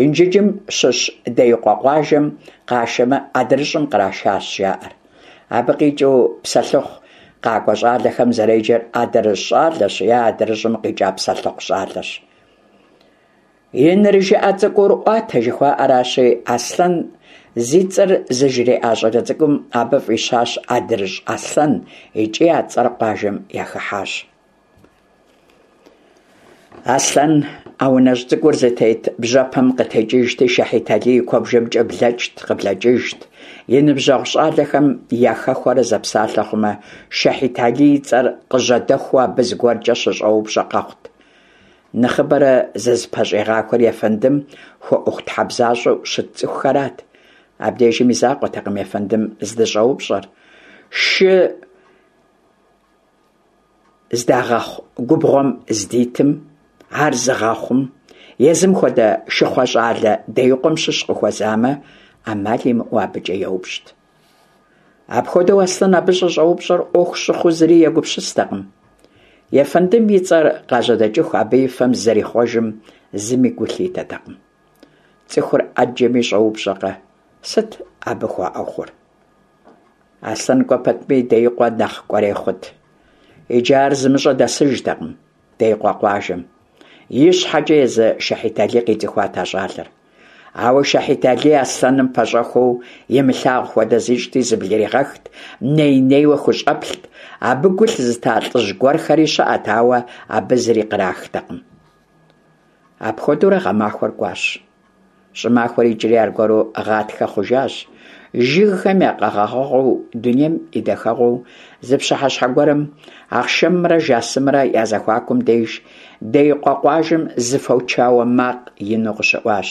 Инжыджым щыщ Деикъуэ къуажэм къашэмэ, АдрыщӀым кърашащ, жаӀэр. Абы къикӀыу псэлъыхъу къакӀуэ щӀалэхэм зэреджэр адрыщӀ щӀалэщ е адрыщӀым къикӀа псэлъыхъу щӀалэщ. ИнырыжыӀэ цӀыкӀур Ӏуатэ жыхуаӀэращи, Аслъэн зи цӀэр зыжриӀа щӀалэ цӀыкӀум абы фӀищащ АдрыщӀ Аслъэн икӀи а цӀэр къуажэм яхыхьащ. Аслъэн а унэжь цӀыкӀур зытет бжьэпэм къытекӀыжти, Шэхьит Алий и куэбжэмкӀэ блэкӀт, къыблэкӀыжт. И ныбжьэгъу щӀалэхэм яхэхуэрэ зэпсалъэ хъумэ, Шэхьит Алий и цӀэр къыжьэдэхуу абы зыгуэркӀэ щыщӀэупщӀэ къэхъут. Нэхъыбэрэ зызыпэщӀигъахуэр ефэндым хуэӀуэхутхьэбзащӀэу щыт цӀыхухэрат. Абдежым и закъуэтэкъым ефэндым здыщӀэупщӀэр. Шы здагъэхъу губгъуэм здитым, ар зыгъэхъум, езым хуэдэ шыхъуэ щӀалэ Деикъуэм щыщ къыхуэзамэ, Ӏэмал имыӀэу абыкӀэ еупщӀт. Апхуэдэу Аслъэн абы щӀыщӀэупщӀэр Ӏуэху щыхъуу зыри егупсыстэкъым. Ефэндым и цӀэр къажьэдэкӀыху абы и фэм зэрихъуэжым зыми гу лъитэтэкъым. ЦӀыхур Ӏэджэми щӀэупщӀэкъэ, сыт абы хуаӀуэхур? Аслъэн кӀуэ пэтми Деикъуэ нэхъ кӀуэрей хъут. Иджы ар зымыщӀэ дэсыжтэкъым Деикъуэ къуажэм. И щхьэкӀэ езы Шэхьит Алий къицӀыхуат а щӀалэр. Ауэ Шэхьит Алий Аслъэным пэщӀэхуэу имылъагъу хуэдэ зищӀти зыблригъэхт, ней-нейуэ хущӀэплът. Абы гу лъызыта лӀыжь гуэрхэри щыӀэт, ауэ абы зыри кърахтэкъым. Апхуэдэурэ гъэмахуэр кӀуащ. ЩӀымахуэр икӀри аргуэру гъатхэ хъужащ. Жыгхэм я къэгъэгъэгъуэу, дунейм и дахэгъуэу зы пщыхьэщхьэ гуэрым, Ахъшэмрэ Жасымрэ я зэхуакум деж, Деикъуэ къуажэм зы фочауэ макъ ину къыщыӀуащ.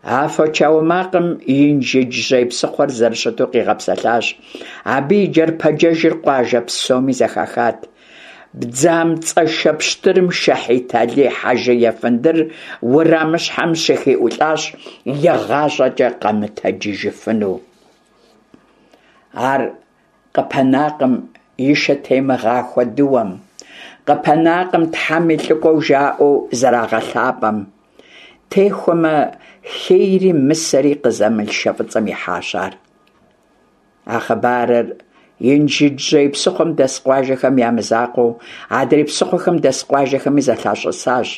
А фочауэ макъым Инжыджжьей псыхъуэр зэрыщыту къигъэпсэлъащ, абы и джэрпэджэжыр къуажэ псоми зэхахат. Бдзамцӏэшэ пщтырым Шэхьит Алий хьэжы ефэндыр уэрамыщхьэм щыхиӀулӀащ, игъащӀэкӀэ къэмытэджыжыфыну. Ар къыпэнакъым и шэтемыгъахуэ дыуэм, къыпэнакъым Тхьэм и лӀыкӀуэу жаӀэу зэрагъэлъапӀэм. Техуэмэ, хейри мысэри къызэмыл шэ фӀыцӀэм ихьащ ар. А хъыбарыр Инжыджжьей псыхъуэм дэс къуажэхэм я мызакъуэу, адрей псыхъуэхэм дэс къуажэхэми зэлъащӀысащ.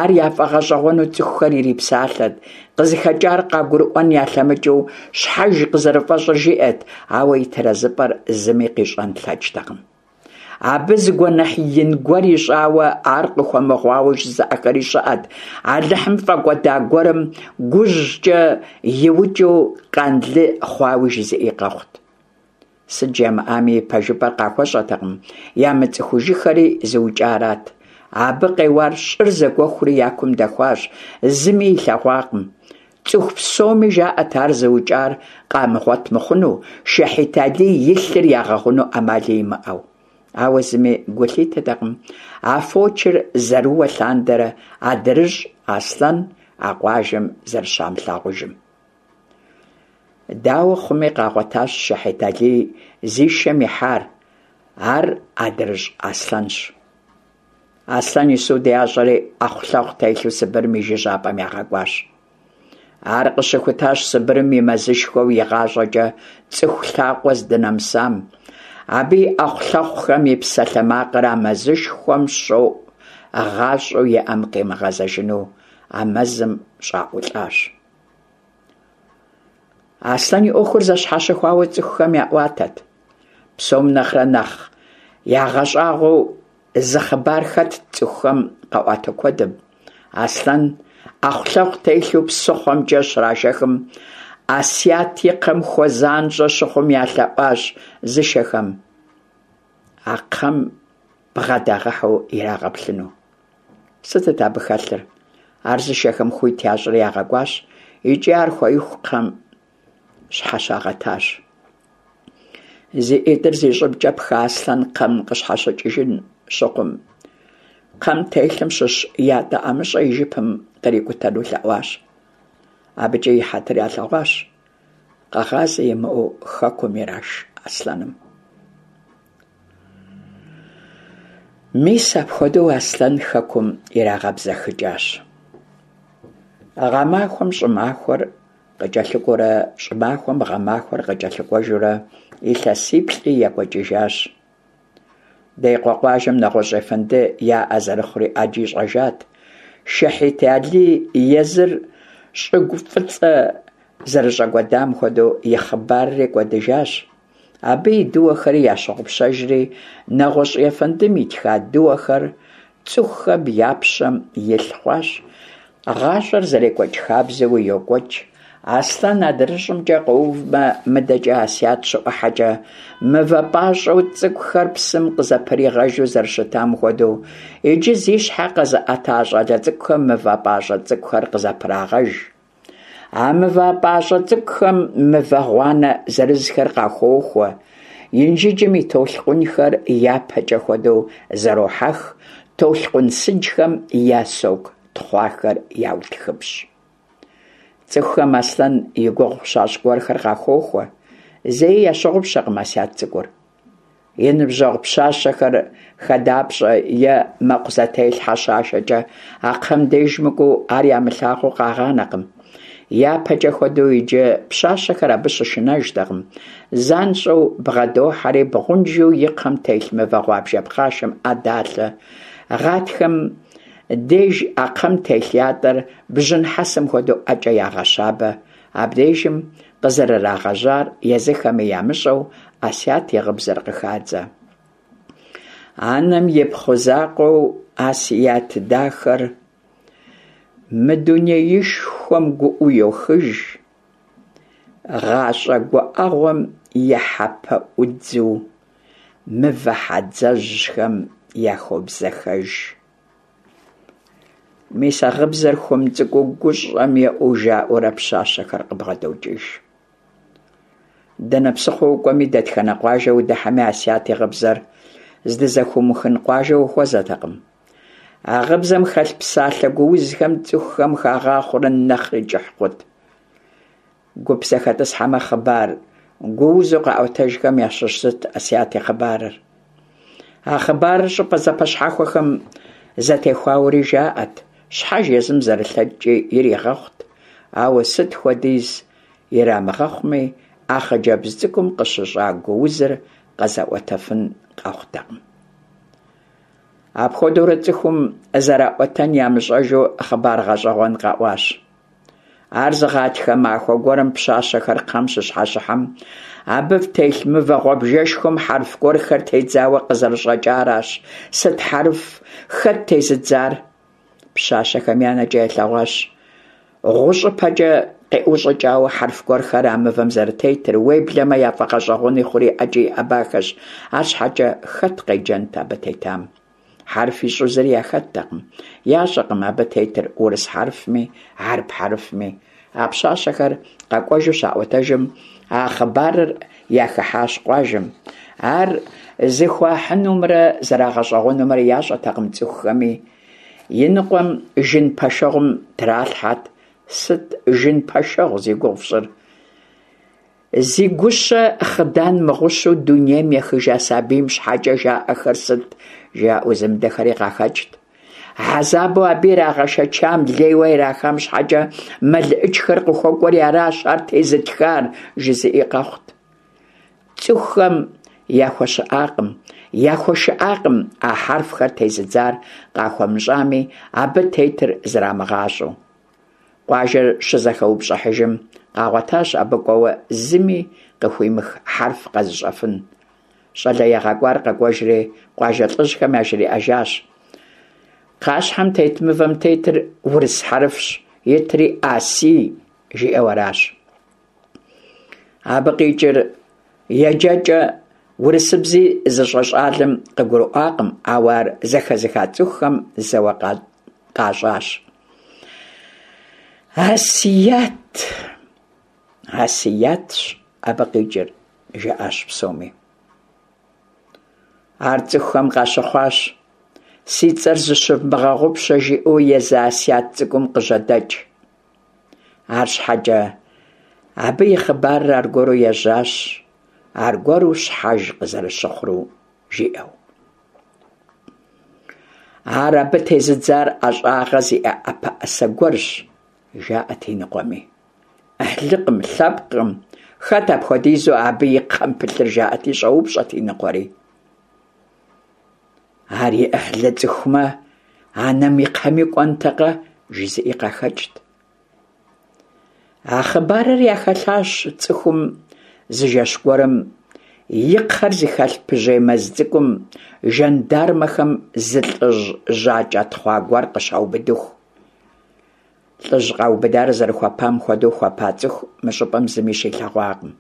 Ар яфӀэгъэщӀэгъуэну цӀыхухэр ирипсалъэт, къызыхэкӀар къагурыӀуэн ялъэмыкӀыу, щхьэж къызэрыфӀэщӀыр жиӀэт, ауэ и тэрэзыпӀэр зыми къищӀэн лъэкӀтэкъым. Абы зы гуэныхь ин гуэр ищӀауэ, ар къыхуэмыгъуауэ жызыӀэхэри щыӀэт, Алыхьым фӀэкӀуэда гуэрым гужькӀэ иукӀыу къанлы хъуауи жызыӀи къэхъут. Сыт жамыӀами, и пэжыпӀэр къахуэщӀэтэкъым, ямыцӀыхужыххэри зыукӀарат. Абы къеуар щӀыр зэгуэхури я кум дэхуащ, зыми илъэгъуакъым. ЦӀыху псоми жаӀэт ар зыукӀар къамыгъуэт мыхъуну, Шэхьит Алий и лъыр ягъэгъуну Ӏэмали имыӀэу. Ауэ зыми гу лъитэтэкъым а фочыр зэрыуэ лъандэрэ адрыщӀ Аслъэн а къуажэм зэрыщамылъагъужым. Дауэ хъуми, къагъуэтащ Шэхьит Алий зи шэм ихьар. Ар адрыщӀ Аслъэнщ. Аслъэн и суд ящӀэри, Ӏэхъулъэхъу телъу Сыбырым и жыжьапӀэм ягъэкӀуащ. Ар къыщыхутащ Сыбырым и мэзышхуэу игъащӀэкӀэ цӀыху лъакъуэ здынэмысам. Абы и Ӏэхъулъэхъухэм и псалъэмакъыр а мэзышхуэм щоӀу, гъащӀэу иӀэм къимыгъэзэжыну а мэзым щӀаӀулӀащ. Аслъэн и Ӏуэхур зэщхьэщыхуауэ цӀыхухэм яӀуатэт. Псом нэхърэ нэхъ ягъэщӀагъуэу зы хъыбар хэтт цӀыхухэм къаӀуатэ куэдым. Аслъэн Ӏэхъулъэхъу телъу псыхъуэмкӀэ щрашэхым, Асият и кхъэм хуэзанщӀэ щыхъум ялъэӀуащ зышэхэм а кхъэм бгъэдагъэхьэу ирагъэплъыну. Сытыт абы хэлъыр? Ар зышэхэм хуит ящӀри ягъэкӀуащ икӀи ар хуеиху кхъэм щхьэщагъэтащ. Зи ӀитӀыр зи щӀыбкӀэ пха Аслъэн кхъэм къыщхьэщыкӀыжын щыхъум, кхъэм телъым щыщ ятӀэ ӀэмыщӀэ и жыпым кърикӀутэну лъэӀуащ. АбыкӀи и хьэтыр ялъэгъуащ. Къэгъазэ имыӀэу хэкум ираш Аслъэным. Мис апхуэдэу Аслъэн хэкум ирагъэбзэхыкӀащ. Гъэмахуэм щӀымахуэр къыкӀэлъыкӀуэурэ, щӀымахуэм гъэмахуэр къыкӀэлъыкӀуэжурэ илъэсиплӀи екӀуэкӀыжащ. Деикъуэ къуажэм нэгъуэщӀ ефэнды яӀэ зэрыхъури Ӏэджи щӀэжат. Шэхьит Алий езыр щӀыгу фӀыцӀэ зэрыщӀэкӀуэдам хуэдэу и хъыбарри кӀуэдыжащ. Абы и дыуэхэри ящыгъупщэжри, нэгъуэщӀ ефэндым итха дыуэхэр цӀыхухэм я пщэм илъ хъуащ. ГъащӀэр зэрекӀуэкӀ хабзэуи йокӀуэкӀ. Аслъэн адрыщӀымкӀэ къэувмэ, мыдэкӀэ Асият щыӀухьэкӀэ, мывэ пӀащӀэу цӀыкӀухэр псым къызэпригъэжу зэрыщытам хуэдэу, иджы зи щхьэ къэзыӀэта щӀалэ цӀыкӀухэм мывэ пӀащӀэ цӀыкӀухэр къызэпрагъэж. А мывэ пӀащӀэ цӀыкӀухэм мывэ гъуанэ зырызхэр къахуохуэ. Инжыджым и толъкъунхэр япэкӀэ хуэдэу зэрохьэх, толъкъун сыджхэм я соку тхъуахэр яутхыпщӀ. ЦӀыхухэм Аслъэн и гугъу щащӀ гуэрхэр къахуохуэ. Зэи ящыгъупщэкъым Асият цӀыкӀур. И ныбжьэгъу пщащэхэр хадапщӀэ е мэкъу зэтелъхьэ щашэкӀэ а кхъэм деж мыкӀуэу ар ямылъагъуу къагъанэкъым. ЯпэкӀэ хуэдэу иджы пщащэхэр абы щышынэжтэкъым. ЗанщӀэу бгъэдохьэри бгъунжу и кхъэм телъ мывэ гъуабжэ пхъашэм Ӏэ далъэ. Гъатхэм деж а кхъэм телъ ятӀэр бжьын хьэсэм хуэдэу ӀэкӀэ ягъэщабэ. Абдежым къызэрырагъэжьар езыхэми ямыщӀэу Асият и гъыбзэр къыхадзэ. Анэм ипхъу закъуэу Асият дахэр мы дунеишхуэм гуӀэу йохыж. Гъащӏэ гуӏэгъуэм и хьэпэӏудзу мывэ хьэдзэжьхэм яхобзэхэж. Мис а гъыбзэр хуэм цӏыкӏуу гущӏэм еӏэу жаӏэурэ пщащэхэр къыбгъэдокӏыж. Дэнэ псыхъуэ укӏуэми, дэтхэнэ къуажэ удыхьэми Асят и гъыбзэр здызэхыумыхын къуажэ ухуэзэтэкъым. А гъыбзэм хэлъ псалъэ гуузхэм цӏыхухэм хагъахъуэрэ нэхъри кӏыхь хъут. Гуп зэхэтӏысхьэмэ, хъыбар гуузу къаӏуэтэжхэм ящыщ зыт Асят и хъыбарыр. А хъыбарыр щӏыпӏэ зэпэщхьэхуэхэм зэтехуауэри жаӏэт, щхьэж езым зэрылъэкӏкӏи иригъэхъут, ауэ сыт хуэдиз ирамыгъэхъуми, а хъыджэбз цӏыкӏум къыщыщӏа гуузыр къэзыӏуэтэфын къэхъутэкъым. Апхуэдэурэ цӏыхум зэраӏуэтэн ямыщӏэжу хъыбар гъэщӏэгъуэн къэӏуащ. Ар зы гъатхэ махуэ гуэрым пщащэхэр кхъэм щыщхьэщыхьэм, абы телъ мывэ гъуабжэшхуэм хьэрф гуэрхэр тедзауэ къызэрыщӏэкӏаращ. Сыт хьэрф? Хэт тезыдзар? Пщащэхэм я нэкӏэ ялъэгъуащ гъущӏыпэкӏэ къиӏущӏыкӏауэ хьэрф гуэрхэр а мывэм зэрытетыр, уеблэмэ яфӏэгъэщӏэгъуэни хъури ӏэкӏи иӏэбахэщ, арщхьэкӏэ хэт къеджэнт абы тетам? Хьэрф ищӏэу зыри яхэттэкъым. Ящӏэкъым абы тетыр урыс хьэрфми, хьэрып хьэрфми. А пщащэхэр къэкӏуэжу щаӏуэтэжым, а хъыбарыр яхыхьащ къуажэм. Ар зыхуахьынумрэ зэрагъэщӏэгъуэнумрэ ящӏэтэкъым цӏыхухэми. Иныкъуэм жын пэшэгъум тралъхьэт. Сыт жын пэшэгъу зи гугъу фщӏыр? Зи гущэ хъыдан мыгъущу дунейм ехыжа сабийм щхьэкӏэ жаӏэхэр сыт, жаӏэу зымыдэхэри къахэкӏт. Хьэзабу абы ирагъэшэчам, лейуэ ирахам щхьэкӏэ мэлыӏычхэр къыхуэкӏуэри аращ ар тезытхар, жызыӏи къэхъут. Цӏыхухэм яхуэщыӏакъым, яхуэшыӏакъым а хьэрфхэр тезыдзар къахуэмыщӏами, абы тетыр зрамыгъащӏэу. Къуажэр щызэхэупщӏыхьыжым къагъуэтащ абы кӏуэуэ зыми къыхуимых хьэрф къэзыщӏэфын. Щӏалэ ягъэкӏуар къэкӏуэжри къуажэ лӏыжьхэм яжриӏэжащ. Кхъащхьэм тет мывэм тетыр урыс хьэрфщ, итри «Аси» жиӏэу аращ. Абы къикӏыр еджэкӏэ урысыбзи зыщӏэ щӏалэм къыгурыӏуакъым, ауэ ар зэхэзыха цӏыхухэм зэуэ къащӏащ. Асият, Асиятщ абы къикӏыр, жаӏащ псоми. Ар цӏыхухэм къащыхъуащ. Си цӏэр зыщывмыгъэгъупщэ, жиӏэу езы Асият цӏыкӏум къыжьэдэкӏ. Арщхьэкӏэ абы и хъыбарыр аргуэру ежьащ, аргуэру щхьэж къызэрыщыхъуру жиӏэу. Ар абы тезыдзар ӏэщӏагъэ зиӏэ ӏэпэӏэсэ гуэрщ, жаӏэт иныкъуэми. Ӏыхьлыкъым, лъэпкъым, хэт апхуэдизу абы и кхъэм пылъыр, жаӏэти щӏэупщӏэт иныкъуэри. Ар и ӏыхьлы цӏыхумэ, анэм и кхъэми кӏуэнтэкъэ, жызыӏи къахэкӏт. А хъыбарыр яхэлъащ цӏыхум зы жэщ гуэрым и кхъэр зыхэлъ пыжьей мэз цӏыкӏум жандармэхэм зы лӏыжь жьакӏэ тхъуа гуэр къыщаубыдыху. Лӏыжь къаубыдар зэрыхуэпам хуэдэу хуэпа цӏыху мы щӏыпӏэм зыми щилъэгъуакъым.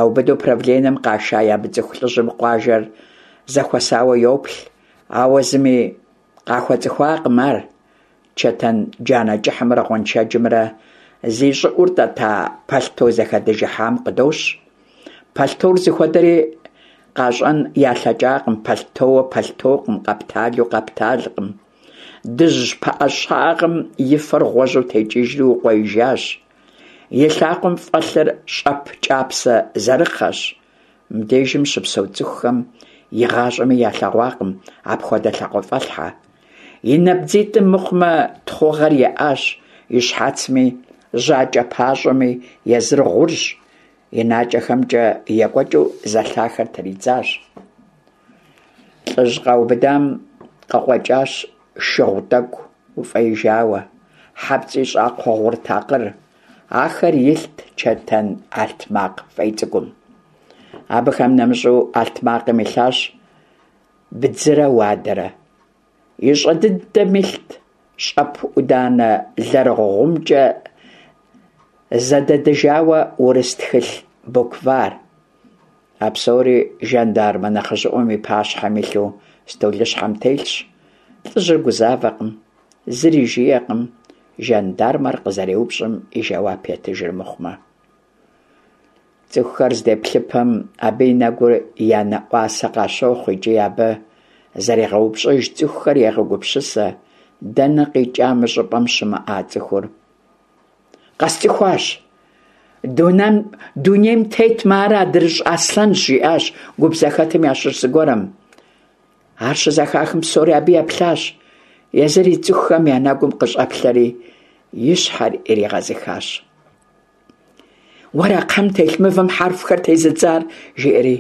Яубыду правленэм къаша ямыцӏыху лӏыжьым къуажэр зэхуэсауэ йоплъ, ауэ зыми къахуэцӏыхуакъым ар. Чэтэн джанэ кӏыхьымрэ гъуэншэджымрэ зи щӏыӏур тӏэта пэлъто зэхэдыжыхьам къыдощ. Пэлътор зыхуэдэри къащӏэн ялъэкӏакъым, пэлътоуэ пэлътокъым, къэпталу къэпталкъым. Дыжь пыӏэ щагъым и фэр гъуэжьу текӏыжри укъуеижащ. И лъакъуэм фӏэлъыр щӏэп кӏапсэ зэрыхъэщ. Мыбдежым щыпсэу цӏыхухэм игъащӏэми ялъэгъуакъым апхуэдэ лъакъуэфӏэлъхьэ. И набдзитӏым мыхъумэ тхъугъэр еӏащ, и щхьэцми, жьакӏэ пащӏэми езыр гъурщ, и накӏэхэмкӏэ екӏуэкӏыу зэлъахэр тридзащ. Лӏыжь къаубыдам къыкъуэкӏащ шыгъу тӏэкӏу уфӏеижауэ, хьэпцӏий щӏакхъуэ гъур такъыр. Ахэр илът чэтэн алътмакъ фӏей цӏыкӏум. Абыхэм нэмыщӏу алътмакъым илъащ бдзырэ уадэрэ. И щӏэ дыдэм илът щӏэп ӏуданэ лэрыгъумкӏэ Зэдэдыжауэ урыс тхылъ букварь. А псори жандармэ нэхъыжьыӀуэм и пащхьэм илъу стӀолыщхьэм телъщ. ЛӀыжьыр гузавэкъым, зыри жиӀэкъым, жандармэр къызэреупщӀым и жэуап етыжыр мыхъумэ. ЦӀыхухэр здеплъыпэм, абы и нэгур я нэӀуасэ къащохъу икӀи абы зэригъэупщӀыж цӀыхухэр егъэгупсысэ: дэнэ къикӀа мы щӀыпӀэм щымыӀа цӀыхур? Къэсцӏыхуащ! Дунейм тетмэ, ар АдрыщӀ Аслъэнщ, – жиӀащ гуп зэхэтым ящыщ зыгуэрым. Ар щызэхахым, псори абы еплъащ. Езыри цӀыхухэм я нэгум къыщӀэплъэри, и щхьэр иригъэзыхащ. Уэра кхъэм телъ мывэм хьэрфхэр тезыдзар? – жиӀэри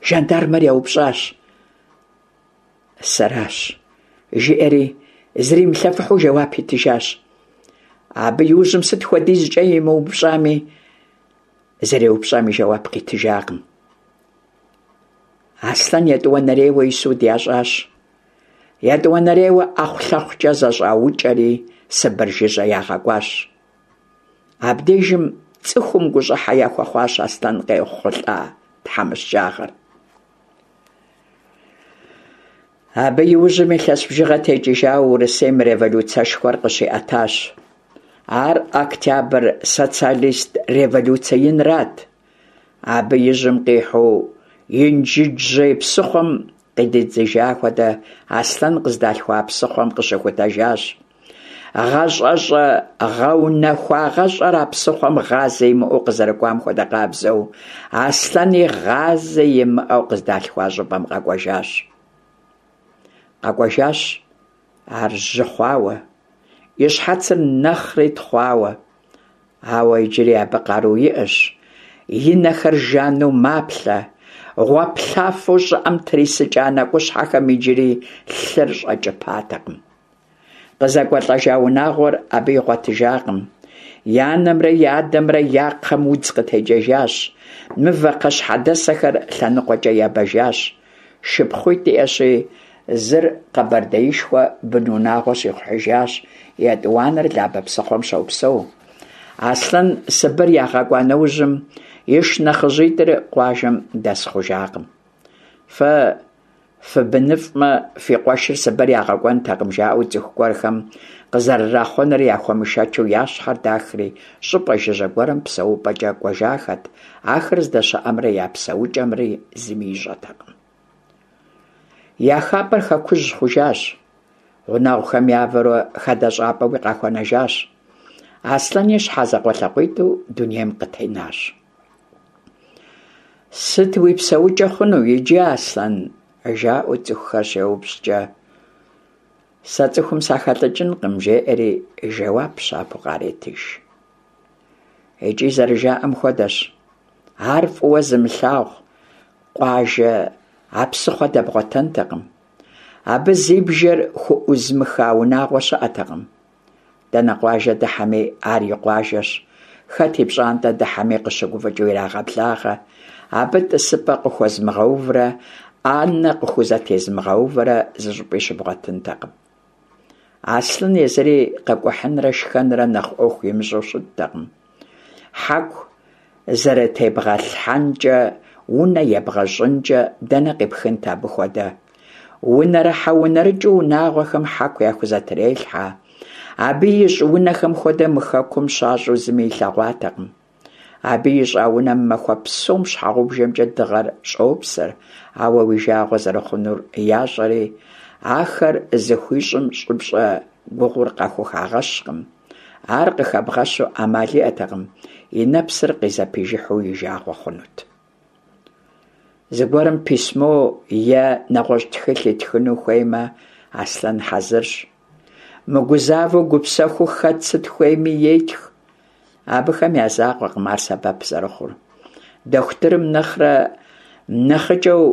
жандармэр еупщӀащ. Сэращ, – жиӀэри зримылъэфыхьу жэуап итыжащ. Абы и ужьым сыт хуэдизкӀэ емыупщӀами, зэреупщӀам и жэуап къитыжакъым. Аслъэн етӀуанэрейуэ и суд ящӀащ. ЕтӀуанэрейуэ ӀэхъулъэхъукӀэ зэщӀаукӀэри Сыбыр жыжьэ ягъэкӀуащ. Абдежым цӀыхум гущӀыхьэ яхуэхъуащ Аслъэн къехъулӀа тхьэмыщкӀагъэр. Абы и ужьым илъэс бжыгъэ текӀыжауэ Урысейм революцэшхуэр къыщиӀэтащ. Ар Октябрь социалист революцэ инрат. Абы и жьым къихьу Инжыджжьей псыхъуэм къыдидзыжа хуэдэ Аслъэн къыздалъхуа псыхъуэм къыщыхутэжащ. ГъащӀэщӀэ гъэунэхуагъэщӀэр а псыхъуэм гъазэ имыӀэу къызэрыкӀуам хуэдэ къабзэу, Аслъэни гъазэ имыӀэу къыздалъхуа щӀыпӀэм къэкӀуэжащ. КъэкӀуэжащ ар жьы хъуауэ, и щхьэцыр нэхъри тхъуауэ. Ауэ иджыри абы къару иӀэщ, и нэхэр жану маплъэ, гъуаплъафэу щӀыӀэм трисыкӀа нэкӀущхьэхэм иджыри лъыр щӀэкӀыпатэкъым. КъызэкӀуэлӀэжа унагъуэр абы игъуэтыжакъым. И анэмрэ и адэмрэ я кхъэм удз къытекӀэжащ, мывэ кхъащхьэдэсэхэр лъэныкъуэкӀэ ебэжащ. ШыпхъуитӀ иӀэщи, зыр Къэбэрдеишхуэ бынунагъуэ щихъухьыжащ, етӀуанэр Лабэ псыхъуэм щопсэу. Аслъэн Сыбыр ягъэкӀуа нэужьым и шынэхъыжьитӀыр къуажэм дэс хъужакъым. Фэ фыбыныфӀмэ, фи къуэшыр Сыбыр ягъэкӀуэнтэкъым, жаӀэу цӀыху гуэрхэм къызэрырахъуэныр яхуэмышэчу я щхьэр дахри, щӀыпӀэ жыжьэ гуэрым псэупӀэкӀэ кӀуэжахэт, ахэр здэщыӀэмрэ я псэукӀэмри зыми ищӀэтэкъым. Я хапӀэр хэкужь хъужащ, гъунэгъухэм явэрэ хадэщӀапӀэуи къахуэнэжащ. Аслъэни щхьэзакъуэ-лъакъуитӀу дунейм къытенащ. Сыт уи псэукӀэ хъуну иджы, Аслъэн? жаӀэу цӀыхухэр щеупщӀкӀэ, сэ цӀыхум сахэлӀыкӀынкъым, жеӀэри жэуап щабэу къаретыж. ИкӀи зэрыжаӀэм хуэдэщ. Ар фӀыуэ зымылъагъу къуажэ а псыхъуэ дэбгъуэтэнтэкъым. Абы зи бжэр хуӀузмыха унагъуэ щыӀэтэкъым. Дэнэ къуажэ дыхьэми, ар и къуажэщ. Хэт и пщӀантӀэ дыхьэми къыщыгуфӀыкӀыу ирагъэблагъэ. Абы тӀысыпӀэ къыхуэзмыгъэуврэ Ӏэнэ къыхузэтезмыгъэувэрэ зыщӀыпӀи щыбгъуэтынтэкъым. Аслъэн езыри къэкӀухьынрэ шхэнрэ нэхъ Ӏуэху имыщӀэу щыттэкъым. Хьэку зэрытебгъэлъхьэнкӀэ, унэ ебгъэщӀынкӀэ дэнэ къипхынт абы хуэдэ? Унэрыхьэ-унэрыкӀыу унагъуэхэм хьэку яхузэтрелъхьэ. Абы ищӀ унэхэм хуэдэ мы хэкум щащӀу зыми илъэгъуатэкъым. Абы ищӀа унэм махуэ псом щхьэгъубжэмкӀэ дыгъэр щӀопсэр, ауэ уи жагъуэ зэрыхъунур ящӀэри, ахэр зыхуищӀым щӀыпщӀэ гугъур къахухагъэщкъым. Ар къыхэбгъэщу Ӏэмал иӀэтэкъым, и нэпсыр къызэпижыхьу и жагъуэ хъунут. Зыгуэрым письмо е нэгъуэщӀ тхылъ итхыну хуеймэ, Аслъэн хьэзырщ. Мыгузавэу гупсэхуу хэт сыт хуейми етх. Абыхэм я закъуэкъым ар сэбэп зэрыхъур. Дохутырым нэхърэ нэхъыкӀэу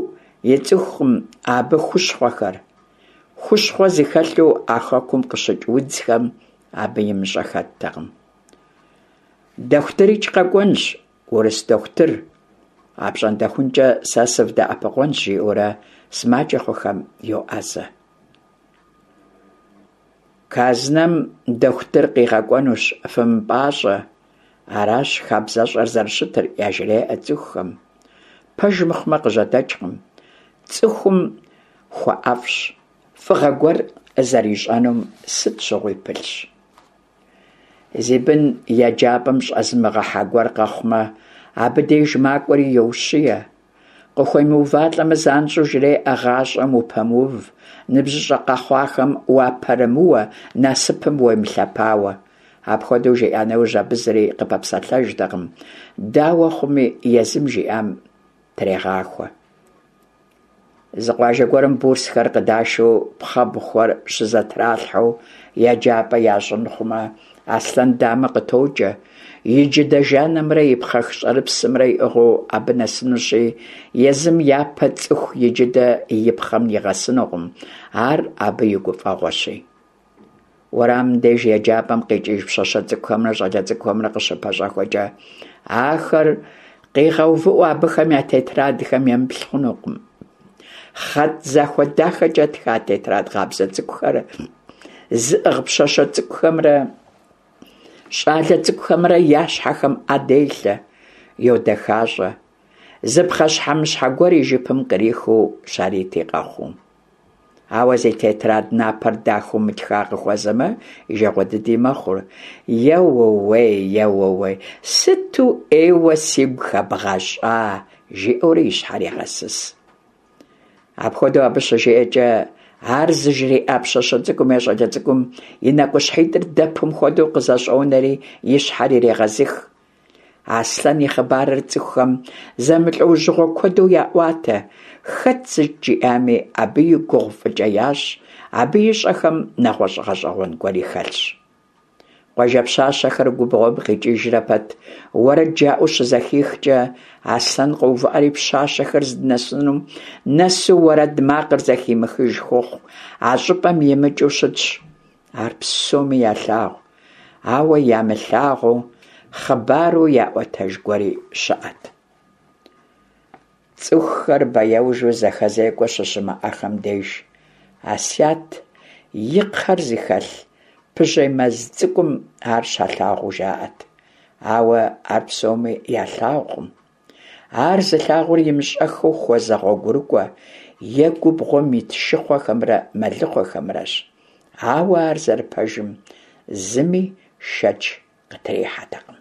ицӀыхукъым абы хущхъуэхэр. Хущхъуэ зыхэлъу а хэкум къыщыкӀ удзхэм абы имыщӀэ хэттэкъым. ДохутырикӀ къэкӀуэнщ, урыс дохутыр, апщӀондэхункӀэ сэ сывдэӀэпыкъунщ, жиӀэурэ сымаджэ хъухэм йоӀэзэ. Казнэм дохутыр къигъэкӀуэнущ, фымыпӀащӀэ, Аращ хабзэщӏэр зэрыщытыр, яжреӏэ цӏыхухэм. Пэж мыхъумэ къыжьэдэкӏкъым. Цӏыхум хуэӏэфӏщ, фӏыгъэ гуэр зэрищӏэнум сыт щыгъуи пылъщ. Зи бын еджапӏэм щӏэзымыгъэхьа гуэр къэхъумэ, абы деж макӏуэри йоущие. Къыхуемыувалӏэмэ, занщӏэу жреӏэ гъащӏэм упэмыув, ныбжьыщӏэ къэхъуахэм уапэрымыуэ, насыпым уемылъэпауэ. Апхуэдэу жиӏа нэужь, абы зыри къыпэпсэлъэжтэкъым, дауэ хъуми, езым жиӏам трегъахуэ. Зы къуажэ гуэрым бурсхэр къыдашу пхъэбгъухэр щызэтралъхьэу еджапӏэ ящӏын хъумэ, Аслъэн дамэ къытокӏэ, и джыдэ жанымрэ и пхъэх щӏэрыпсымрэ иӏыгъыу абы нэсынущи, езым япэ цӏыху и джыдэ и пхъэм нигъэсынукъым, ар абы и гуфӏэгъуэщи. Уэрамым деж еджапӏэм къикӏыж пщащэ цӏыкӏухэмрэ щӏалэ цӏыкӏухэмрэ къыщыпэщӏэхуэкӏэ, ахэр къигъэувыӏэу абыхэм я тетрадхэм емыплъ хъунукъым. Хъэтӏ захуэ дахэкӏэ тха тетрадь къабзэ цӏыкӏухэр зыӏыгъ пщащэ цӏыкӏухэмрэ щӏалэ цӏыкӏухэмрэ я щхьэхэм ӏэ делъэ, йодэхащӏэ, зы пхъэщхьэмыщхьэ гуэр и жыпым кърихыу щарити къэхъуу. Ауэ зи тетрадь напэр дахэу мытха къыхуэзэмэ, и жагъуэ дыди мэхъур. Еууей, еууей, сыту ӏейуэ сигу хэбгъэщӏа, жиӏэурэ и щхьэр егъэсыс. Апхуэдэу абы щыжиӏэкӏэ, ар зыжриӏа пщащэ цӏыкӏум е щӏалэ цӏыкӏум и нэкӏущхьитӏыр дэпым хуэдэу къызэщӏонэри и щхьэр ирегъэзых. Аслъэн и хъыбарыр цӏыхухэм зэмылӏэужьыгъуэ куэду яӏуатэ, хэт сыт жиӏами, абы и гугъу фӏыкӏэ ящӏ, абы ищӏэхэм нэгъуэщӏ гъэщӏэгъуэн гуэри хэлъщ. Къуажэ пщащэхэр губгъуэм къикӏыжрэ пэт, уэрэд жаӏэу щызэхихкӏэ, Аслъэн къоувыӏэри пщащэхэр здынэсынум нэсу уэрэд макъыр зэхимыхыж хъуху, а щӏыпӏэм имыкӏыу щытщ. Ар псоми ялъагъу, ауэ ямылъагъуу хъыбару яӏуэтэж гуэри щыӏэт. Цӏыхухэр бэяужу зэхэзекӏуэ щыщымыӏэхэм деж, Асят и кхъэр зыхэлъ пыжьей мэз цӏыкӏум ар щалъагъуу жаӏэт. Ауэ ар псоми ялъагъукъым. Ар зылъагъур имыщӏэххэу хуэзэ гъуэгурыкӏуэ е губгъуэм ит шыхъуэхэмрэ мэлыхъуэхэмрэщ. Ауэ ар зэрыпэжым зыми шэч къытрихьэтэкъым.